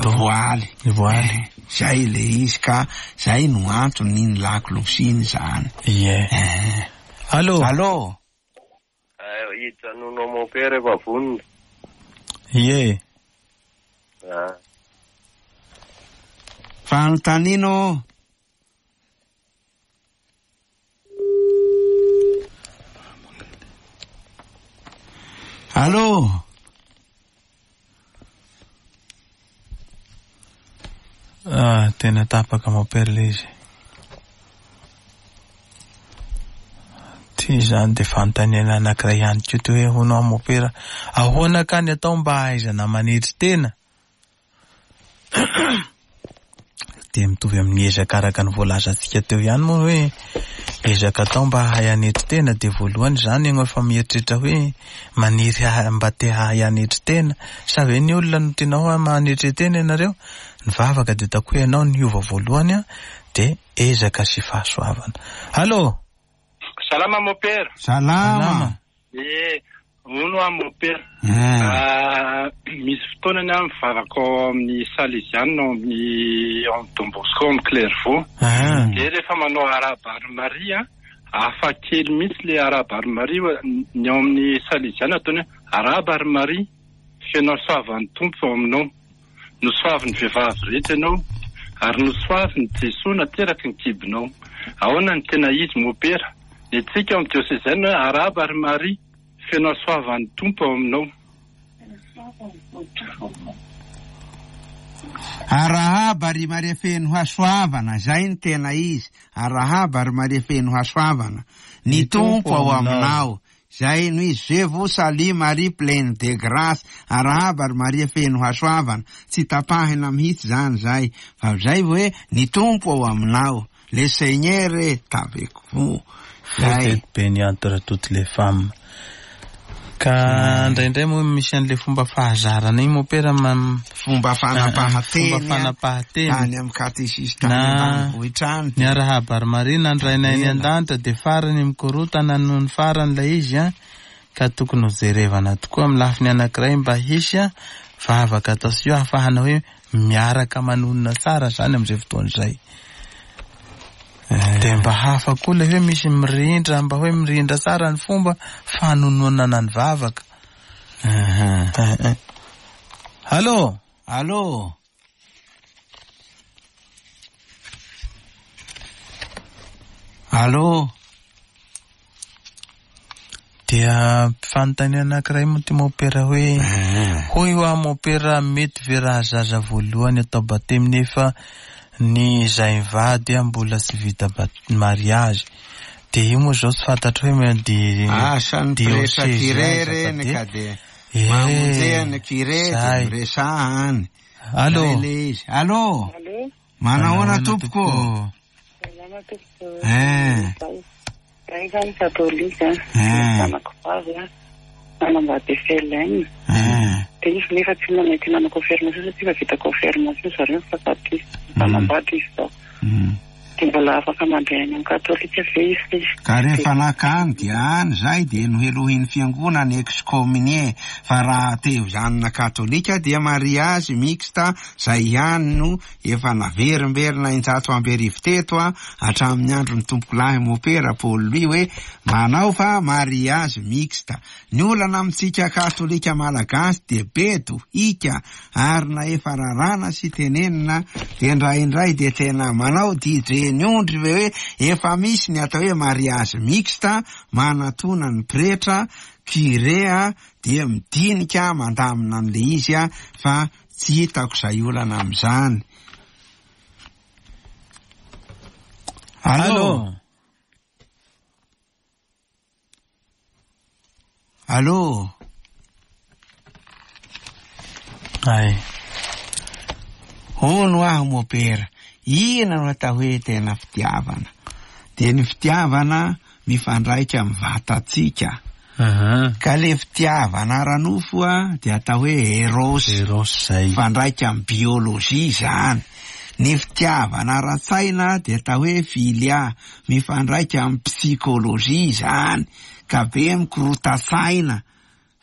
Speaker 3: voaly.
Speaker 1: Voaly.
Speaker 3: Zay le izy, ka zay no antony ny lakolosiny zany.
Speaker 1: Ie. Allô.
Speaker 3: Allô.
Speaker 4: Hijanona mompera efa vonona.
Speaker 1: Ie.
Speaker 4: Ah.
Speaker 3: Fanontaniana. Allô.
Speaker 1: Ah, tena tapaka mompera le izy. Ty zany de fanontaniana anankiray ihany koa ty hoe hono aho mompera, ahoana ka ny atao mba hahaizana manetry tena? De mitovy amin'ny ezaka araka ny voalazantsika teo ihany moa hoe ezaka atao mba hahay hanetry tena, de voalohany zany ianao efa mieritreritra hoe maniry ha- mba te hahay hanetry tena, sa ve ny olona no tianao hoe manetry tena ianareo? Ny vavaka de ataoko hoe ianao niova voalohany a, de ezaka sy fahasoavana. Allô.
Speaker 5: Salama mompera.
Speaker 3: Salama.
Speaker 5: Eh, hono aho mompera.
Speaker 3: Eh.
Speaker 5: Ah, misy fotoana ny aho mivavaka ao amin'ny Salesianina ao amin'ny ao amin'ny Don Bosco ao amin'ny Clairvaux.
Speaker 1: Ah.
Speaker 5: De rehefa manao arahaba ry Maria, hafa kely mihitsy le arahaba ry Maria, ny ao amin'ny Salesianina ataony hoe arahaba ry Maria, feno hasoavan'ny Tompo ao aminao. Nosoavin'ny vehivavy rehetra ianao, ary nosoavin'i Jesoa nateraky ny kibonao. Ahoana ny tena izy mompera? Ny antsika ao amin'ny diôsezanina hoe arahaba ry Maria, feno hasoavan'ny Tompo ao aminao.
Speaker 3: Arahaba ry Maria feno hasoavana, zay ny tena izy. Arahaba ry Maria feno hasoavana, ny Tompo ao aminao. Zay no izy. Je vous salue Marie pleine de grâce. Arahaba ry Maria feno hasoavana. Tsy tapahina mihitsy zany zay, fa zay hoe ny Tompo ao aminao. Le Seigneur est avec vous.
Speaker 1: Vous êtes bénie entre toutes les femmes. Ka indraindray moa misy an'le fomba fahazarana iny mompera, ma-
Speaker 3: Fomba fanapahan-teny.
Speaker 1: Fomba fanapahan-teny.
Speaker 3: Any amin'ny katesista
Speaker 1: Na-
Speaker 3: ambanivohitra any.
Speaker 1: Ny arahaba ry Maria nandrainay ny an-danitra de farany mikorotana noho ny farany ilay izy a, ka tokony ho jerevana tokoa amin'ny lafiny anankiray mba hisy a vavaka atao sy io ahafahana hoe miaraka manonona tsara zany amin'izay fotoana izay. De mba hafa koa ilay hoe misy mirindra, mba hoe mirindra tsara ny fomba fanononana ny vavaka.
Speaker 3: Aha.
Speaker 1: Eh, eh. Allô.
Speaker 3: Allô. Allô.
Speaker 1: Dia fanontaniana anankiray moa ty mompera hoe hoy ho aho mompera, mety ve raha zaza voalohany atao batemy nefa ny zay mivady a mbola tsy vita bat- mariage? De io moa zao tsy fantatro hoe me- de
Speaker 3: Asa ny pretra
Speaker 1: diocese
Speaker 3: curé
Speaker 1: aiza fa
Speaker 3: reny
Speaker 1: de-
Speaker 3: ka de
Speaker 1: Eh,
Speaker 3: mamonjea ny curé de
Speaker 1: zay.
Speaker 3: miresaha any.
Speaker 1: Allô.
Speaker 3: Zay le izy. Allô.
Speaker 6: Allô.
Speaker 3: Manahoana tompoko?
Speaker 6: Salama tompoko.
Speaker 3: Eh.
Speaker 6: Zay zany katolika.
Speaker 3: Eh.
Speaker 6: Zanako vavy a, nanambady F L N.
Speaker 3: Eh.
Speaker 6: De izy nefa tsy manaiky nanao confirmation satria efa vita confirmation zareo fa taty. Nanambady izy zao.
Speaker 3: Mm.
Speaker 6: De mbola afaka mandeha any amin'ny katolika ve izy?
Speaker 3: Ka rehefa nakany dia any zay de nohelohin'ny fiangonana excommunié, fa raha te ho zanona katolika dia mariage mixte zay ihany no efa naverimberina injato amby arivo teto a hatramin'ny andron'ny tompokolahy mompera Paul Louis hoe manao fa mariage mixte. Ny olana amintsika katolika malagasy de bedo hika ary na efa rarana sy tenenina de indraindray de tena manao D J teny ondry ve hoe efa misy ny atao hoe mariage mixte, manatona ny pretra curé dia midinika mandamina an'le izy a, fa tsy hitako izay olana amin'izany. Allô? Allô?
Speaker 1: Ay.
Speaker 3: Hono aho mopera, inona no atao hoe tena fitiavana? Dia ny fitiavana mifandraika amin'ny vatantsika. Ka le fitiavana ara-nofo a dia atao hoe eros.
Speaker 1: Eros zay.
Speaker 3: Mifandraika amin'ny biolojia zany. Ny fitiavana ara-tsaina dia atao hoe filia, mifandraika amin'ny psikolojia zany. Ka be mikorota-tsaina,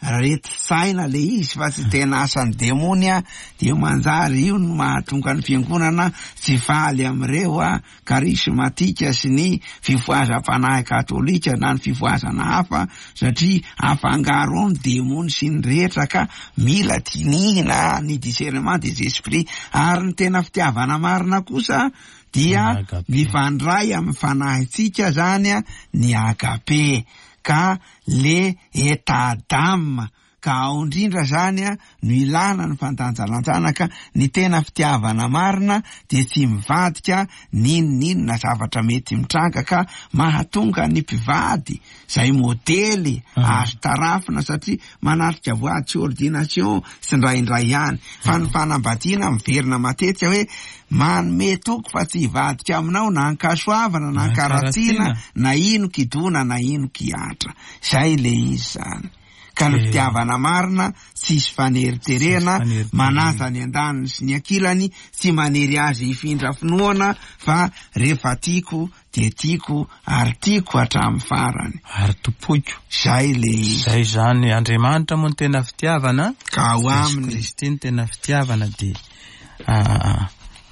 Speaker 3: rety saina le izy fa tsy tena asan'ny demony a, dia manjary io no mahatonga ny fiangonana tsy faly amin'ireo a karismatika sy ny fifohazam-panahy katolika na ny fifohazana hafa, satria afangaro ao ny demony sy ny rehetra, ka mila dinihina ny discernement des esprits. Ary ny tena fitiavana marina kosa dia mifandray amin'ny fanahintsika zany a, ny agape, ka le état d'âme, ka ao indrindra zany a no ilana ny fandanjalanjana. Ka ny tena fitiavana marina dia tsy mivadika n'inon'inona zavatra mety mitranga, ka mahatonga ny mpivady zay modely azo tarafina, satria manatrika voady sy ordination sy indraindray ihany, fa ny fanambadiana miverina matetika hoe manome toky fa tsy hivadika aminao na ankasoavana na ankaratsiana na ino kidona na ino kiatra. Zay le izy zany. Ka ny fitiavana marina tsisy faneriterena, manaja ny andaniny sy ny ankilany, tsy manery azy hifindra finoana, fa rehefa tiako dia tiako ary tiako hatramin'ny farany.
Speaker 1: Ary tompoiko.
Speaker 3: Zay le izy.
Speaker 1: Zay zany, Andriamanitra moa ny tena fitiavana,
Speaker 3: ka ao aminy
Speaker 1: Kristy ny tena fitiavana, dia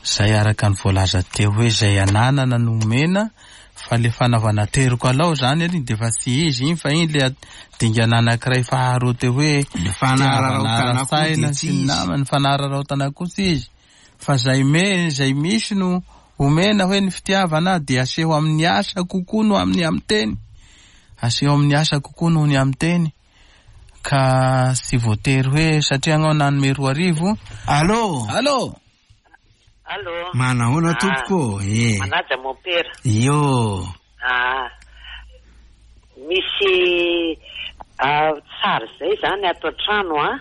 Speaker 1: zay araka ny voalaza teo hoe zay ananana no omena, fa le fanaovana teriko alao zany aloha dia efa tsy izy iny, fa iny le dingana anankiray faharoa teo hoe
Speaker 3: ny fanararaotana koa dia tsy izy.
Speaker 1: Ny fanararaotana koa tsy izy, fa zay me zay misy no omena hoe ny fitiavana dia aseho amin'ny asa kokoa no amin'ny amin'ny teny, aseho amin'ny asa kokoa noho ny amin'ny teny, ka tsy voatery hoe satria anao nanome roa arivo.
Speaker 3: Allô?
Speaker 1: Allô?
Speaker 7: Allô?
Speaker 3: Manahoana tompoko? Eh.
Speaker 7: Manaja mompera.
Speaker 3: Io.
Speaker 7: Ah. Misy tsara zay zany ato an-trano a,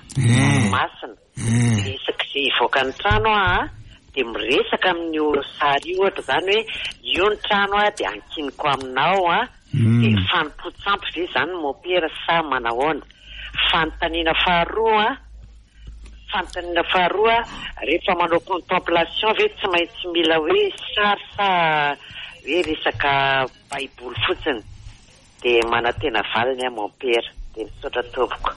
Speaker 7: masina. Isaky izay hivoaka ny trano a, dia miresaka amin'io sary io ohatra zany hoe io ny trano a dia ankiniko aminao a, dia fanompoan-tsampy ve zany mompera sa manahoana? Fanontaniana faharoa a, fanontaniana faharoa, rehefa manao contemplation ve tsy maintsy mila hoe sary sa hoe resaka baiboly fotsiny? Dia manantena valiny aho mompera, dia misaotra tompoko.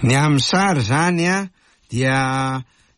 Speaker 3: Ny amin'ny sary zany a dia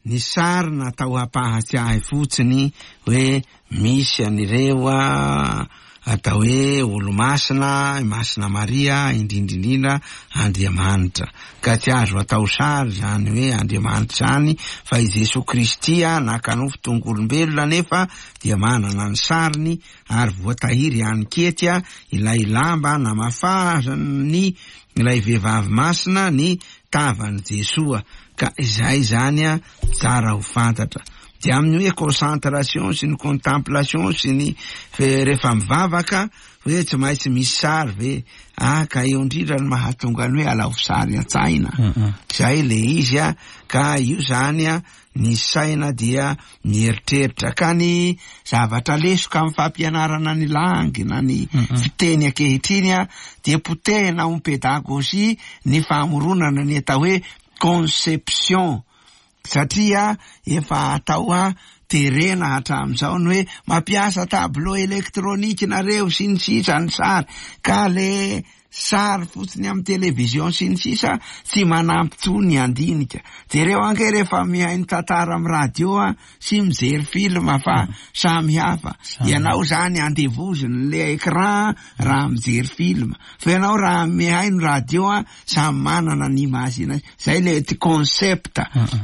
Speaker 3: ny sary natao hampahatsiahy fotsiny hoe misy an'ireo a atao hoe olo-masina, Masina Maria, indrindra indrindra Andriamanitra. Ka tsy azo atao sary zany hoe Andriamanitra zany, fa i Jesoa Kristy a naka nofo tonga olombelona nefa dia manana ny sariny, ary voatahiry ihany kety a ilay lamba namafazany ilay vehivavy masina ny tavan'i Jesoa. Ka izay zany a tsara ho fantatra. Dia amin'ny hoe concentration sy ny contemplation sy ny rehefa mivavaka hoe tsy maintsy misy sary ve? Ah, ka eo indrindra no mahatonga ny hoe alao sary an-tsaina. Zay le izy a, ka io zany a ny saina dia mieritreritra. Ka ny zavatra lesoka amin'ny fampianarana ny langy na ny fiteny ankehitriny a dia potehina ao pedagogie ny famoronana ny atao hoe conception, satria efa atao a terena hatramin'izao ny hoe mampiasa tableau électronique nareo sy ny sisa ny sary, ka le sary fotsiny amin'ny télévision sy ny sisa tsy manampy tsony andinika. Jereo ange rehefa mihaino tantara amin'ny radio a sy mijery film fa samy hafa. Ianao zany andevoziny le écran raha mijery film, fa ianao raha mihaino radio a samy manana ny image. Zay le ty concept,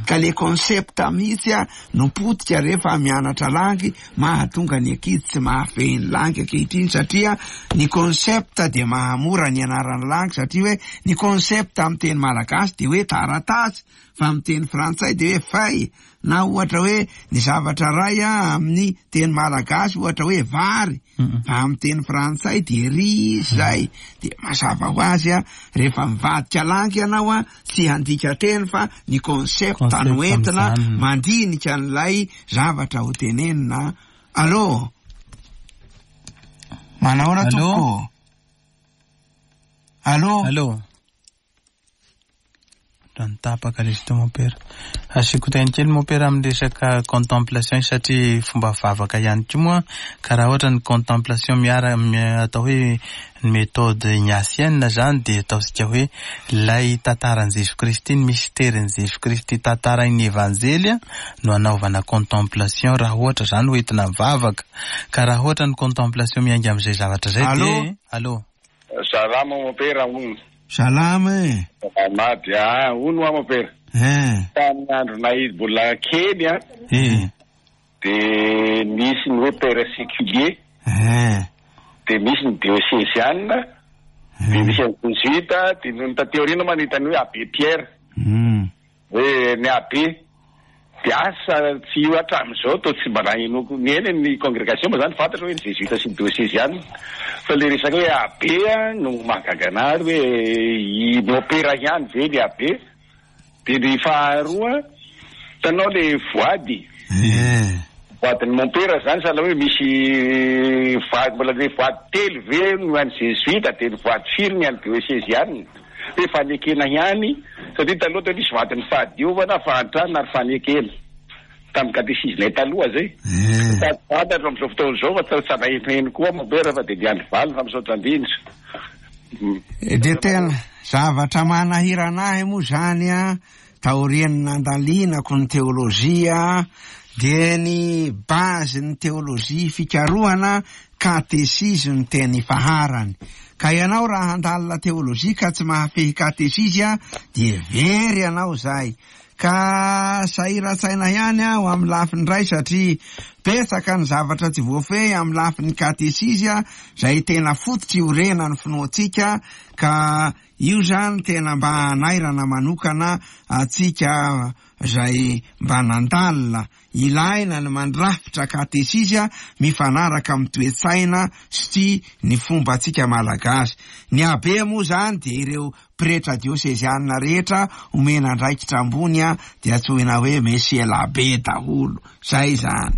Speaker 3: ka le concept mihitsy a no potika rehefa mianatra langy, mahatonga ny ankizy tsy mahafehy ny langy ankehitriny, satria ny concept dia mahamora ny anaran'ny langy, satria hoe ny concept amin'ny teny malagasy dia hoe taratasy, fa amin'ny teny frantsay dia hoe feuille, na ohatra hoe ny zavatra ray a amin'ny teny malagasy ohatra hoe vary, fa amin'ny teny frantsay dia riz. Zay dia mazava ho azy a rehefa mivadika langy ianao a tsy handika teny fa ny concept no entina mandinika an'ilay zavatra ho tenenina. Allô, manahoana tompoko? Allô?
Speaker 1: Allô? Tapaka le izy teo mompera. Asiako teny kely mompera amin'ny resaka contemplation, satria fomba vavaka ihany koa moa, ka raha ohatra ny contemplation miara atao hoe ny méthode ignatienne zany, dia ataontsika hoe lay tantaran'i Jesosy Kristy, ny mystèren'i Jesosy Kristy tantarain'ny Evanjely no anaovana contemplation raha ohatra zany ho entina mivavaka. Ka raha ohatra ny contemplation miainga amin'izay zavatra zay dia allô.
Speaker 8: Salama mompera hono.
Speaker 3: Salama e.
Speaker 8: Salama ah, hono a mompera.
Speaker 3: Eh.
Speaker 8: Tamin'ny andronay mbola kely a.
Speaker 1: Eh.
Speaker 8: De nisy ny hoe père séculier.
Speaker 3: Eh.
Speaker 8: De misy ny diocésiane. De misy ny jésuite, de nony taty aoriana manahita ny hoe abbé Pierre.
Speaker 3: Mm.
Speaker 8: Hoe ny abbé. De asa tsy io hatramin'izao to tsy mba nahenoko ny eny ny congrégation moa zany fantatra hoe ny jésuite sy ny diocésiane, fa le resaka hoe abbé no mahagaga anary hoe i mompera ihany ve ny abbé. De ny faharoa hitanao le voady, voadin'ny mompera zany sahala hoe misy voady mbola le voady telo ve no an'ny jésuite, de ny voady firy ny an'ny diocésiane, hoe fanekena ihany, satria taloha teo nisy voadin'ny fahadiovana, fahantrana ary fanekena tamin'ny katesizinay taloha zay. Sady fantatro amin'izao fotoana izao fa tsy nahenoheno koa mompera, fa de niandry valiny fa misaotra indrindra.
Speaker 3: De tena zavatra manahirana ahy moa zany a taorian'ny nandalinako ny teolojia, dia ny base ny teolojia fikarohana katesizy ny teny faharany. Ka ianao raha handalina teolojia ka tsy mahafehy katesizy a dia very ianao zay. Ka sahiran-tsaina ihany aho amin'ny lafiny ray, satria betsaka ny zavatra tsy voafehy amin'ny lafiny katesizy a zay tena fototra iorenan'ny finoantsika, ka io zany tena mba hanairana manokana atsika zay mba nandalina. Ilaina ny mandrafitra katesizy a mifanaraka amin'ny toe-tsaina sy ny fomba antsika malagasy. Ny abbé moa zany dia ireo pretra diosezianina rehetra omena andraikitra ambony a dia antsoina hoe monsieur l'abbé daholo zay zany.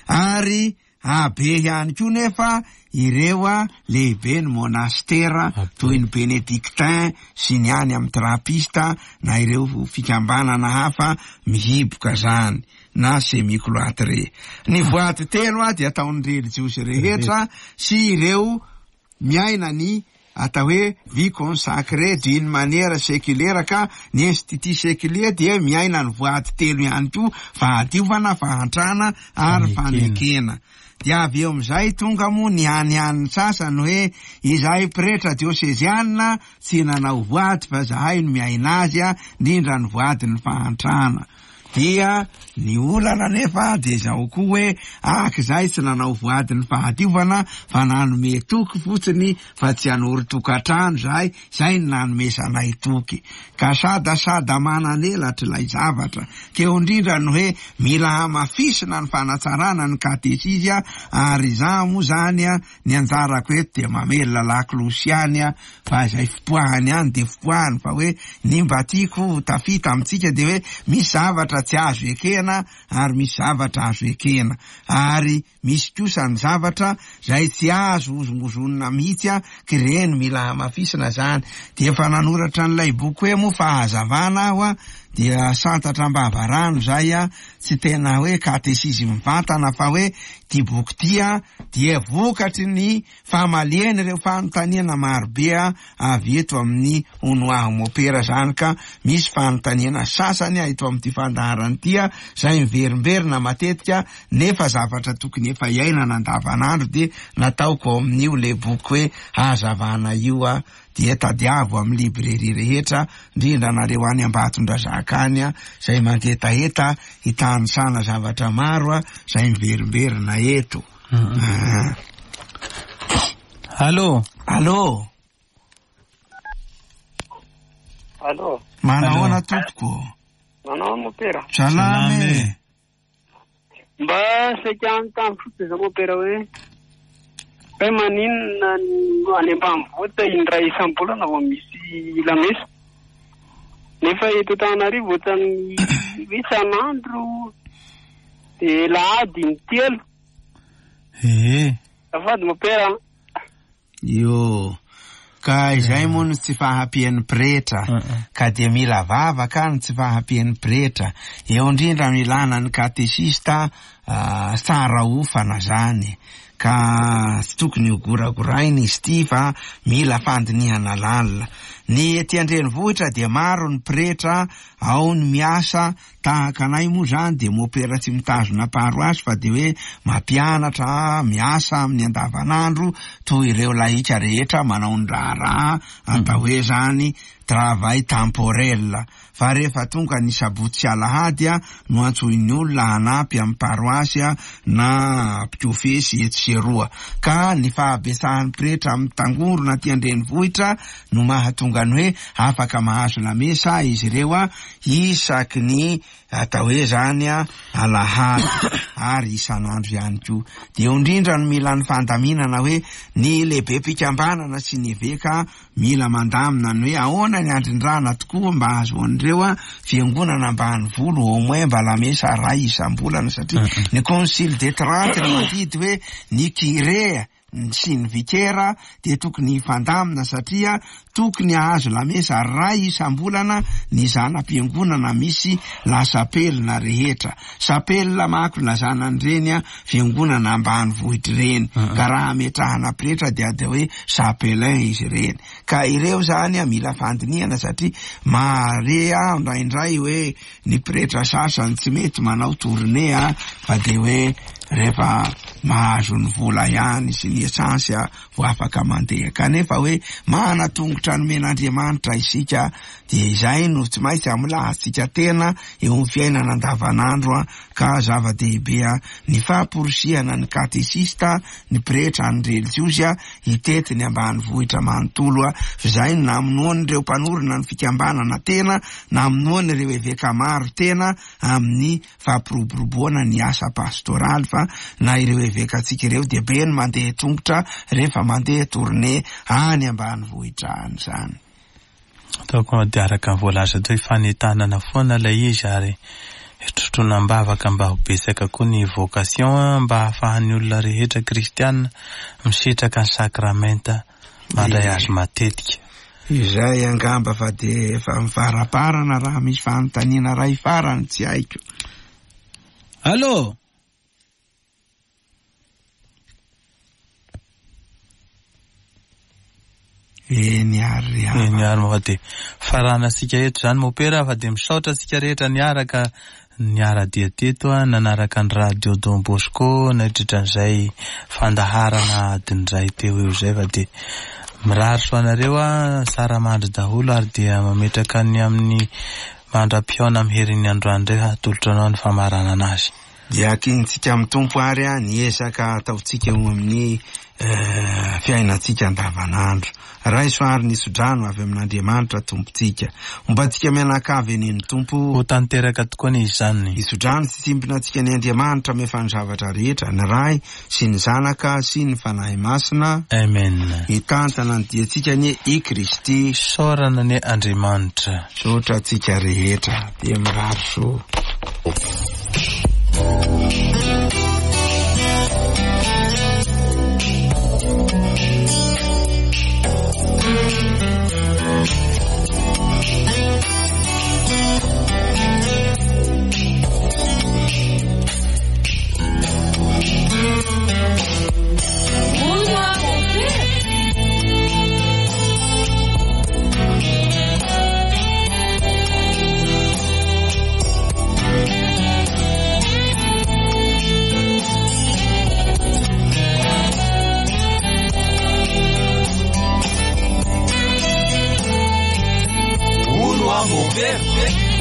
Speaker 3: Ary abbé ihany koa nefa ireo a lehibe ny monastera toy ny bénédictin sy ny any amin'ny trapista na ireo fikambanana hafa mihiboka zany na semi-cloîtré. Ny voady telo a dia ataon'ny relijiosy rehetra sy ireo miaina ny atao hoe vie consacrée d'une manière séculaire, ka ny institut séculier dia miaina ny voady telo ihany koa: fahadiovana, fahantrana ary fanekena. Dia avy eo amizay tonga moa ny hanihaniny sasany hoe izahay pretra diosezianina tsy nanao voady fa zahay no miaina azy a, indrindra ny voadin'ny fahantrana. Dia ny olana nefa de zao koa hoe aky zahay tsy nanao voadin'ny fahadiovana fa nanome toky fotsiny fa tsy hanory tokantrano zahay, zay no nanomezanay toky. Ka sadasada mananelatra ilay zavatra. Keo indrindra ny hoe mila hamafisina ny fanatsarana ny katesizy a, ary izaho moa zany a ny anjarako eto dia mamelona laklosy ihany a, fa izay fipoahany ihany de fipoahany, fa hoe ny mba tiako tafita amintsika de hoe misy zavatra tsy azo ekena ary misy zavatra azo ekena, ary misy kosa ny zavatra zay tsy azo hozongozonina mihitsy a, kireny mila hamafisina zany. De efa nanoratra an'ilay boky hoe moa fahazavana aho a, dia santatra am-bavarano zay a, tsy tena hoe katesizy mivantana fa hoe ty boky ty a dia vokatry ny famaliana ireo fanontaniana marobe a avy eto amin'ny Honoaho Mopera zany, ka misy fanontaniana sasany a eto amin'ity fandaharana ity a zay miverimberina matetika nefa zavatra tokony efa iainana andavanandro dia nataoko ao amin'io le boky hoe hazavana io a, dia tadiavo amin'ny librairie rehetra, indrindra nareo any Ambatondrazaka any a zay mangetaheta hitanisana zavatra maro a zay miverimberina eto.
Speaker 1: Allô?
Speaker 3: Allô?
Speaker 6: Allô?
Speaker 3: Manahoana tompoko?
Speaker 6: Manao mopera.
Speaker 3: Salama e.
Speaker 6: Mba saika anontany fotsiny zao mopera hoe hoe maninona any ambanivohitra indray isam-bolana vao misy lamesa, nefa eto Antananarivo ohatran'ny isan'andro de alahady intelo.
Speaker 1: Eh.
Speaker 6: Azafady mopera.
Speaker 3: Io. Ka izay moa no tsy fahampian'ny pretra, ka dia mila vavaka ny tsy fahampian'ny pretra. Eo indrindra no ilana ny katesista tsara ofana zany, ka tsy tokony ho goragoraina izy ity fa mila fandinihana lalina. Ny ety an-drenivohitra dia maro ny pretra ao ny miasa tahaka anay moa zany dia mopera tsy mitazona paroasy fa dia hoe mampianatra miasa amin'ny andavanandro toy ireo lahika rehetra manao ny raharaha atao hoe zany travail temporel. Fa rehefa tonga ny sabotsy sy alahady a no antsoin'ny olona hanampy amin'ny paroasy a na mpikofesy etsy sy eroa, ka ny fahabetsahan'ny pretra amin'ny tangorona aty an-drenivohitra no mahatonga ny hoe afaka mahazo lamesa izy ireo a isaky ny atao hoe zany a alahady ary isan'andro ihany koa. Dia eo indrindra no mila ny fandaminana hoe ny lehibe mpikambanana sy ny eveka mila mandamina ny hoe ahoana ny andrindrana tokoa mba ahazoan'ireo a fiangonana ambanivolo au moins mba lamesa ray isam-bolana, satria ny concile de Trente no mandidy hoe ny curé sy ny vikera dia tokony hifandamina satria tokony hahazo lamesa ray isam-bolana ny zana-piangonana misy lasapelina rehetra. Sapelina manko lazana an'ireny a fiangonana ambanivohitra ireny, ka raha ametrahana pretra dia atao hoe chapelain izy ireny. Ka ireo zany a mila fandinihana satria mahare aho indraindray hoe ny pretra sasany tsy mety manao tournée a fa dia hoe rehefa mahazo ny vola ihany sy ny esansy a vao afaka mandeha, kanefa hoe mana tongotra nomen'Andriamanitra isika dia izay no tsy maintsy amolahantsika tena eo amin'ny fiainana andavanandro a, ka zava-dehibe a ny famporisihana ny katesista, ny pretra, ny relijiosy a hitety ny ambanivohitra manontolo a, izay no namonoan'ireo mpanorina ny fikambanana tena, namonoan'ireo eveka maro tena amin'ny fampiroboroboana ny asa pastoraly, fa na ireo evekantsika ireo dia be ny mandeha tongotra rehefa mandeha tournée any ambanivohitra any zany.
Speaker 1: Ataoko dia araka ny voalaza teo hoe fanentanana foana ilay izy ary trotroana am-bavaka mba ho betsaka koa ny vocation mba hahafahan'ny olona rehetra kristiana misitraka ny sakramenta mandray azy matetika.
Speaker 3: Izay angamba fa dia efa mivaraparana raha misy fanontaniana ray farany tsy haiko.
Speaker 1: Allô?
Speaker 3: Eny ary
Speaker 1: Eny ary moa dia faranantsika eto zany mopera fa dia misaotra antsika rehetra niaraka niara-dia teto a nanaraka ny radio Don Bosco nandritra an'izay fandaharana adin'izay teo eo izay, fa dia mirary soa anareo a tsara mandry daholo ary dia mametraka ny amin'ny mandra-pihaona amin'ny herin'ny androany indray hatolotra anao ny famaranana azy.
Speaker 3: Dia akintsika amin'ny Tompo ary a ny ezaka ataontsika eo amin'ny fiainantsika andavanandro. Raiso ary ny sodrano avy amin'Andriamanitra Tompontsika. Homba antsika mianakavy eny ny Tompo.
Speaker 1: Ho tanteraka tokoa ny izany.
Speaker 3: Isodrano tsy tsimpona antsika ny Andriamanitra mefa ny zavatra rehetra, ny Ray sy ny Zanaka sy ny Fanahy Masina.
Speaker 1: Amen.
Speaker 3: Hitantana ny diantsika anie i Kristy.
Speaker 1: Isaorana anie Andriamanitra.
Speaker 3: Misaotra antsika rehetra. Dia mirary soa.
Speaker 9: Thank you. Fa mopera.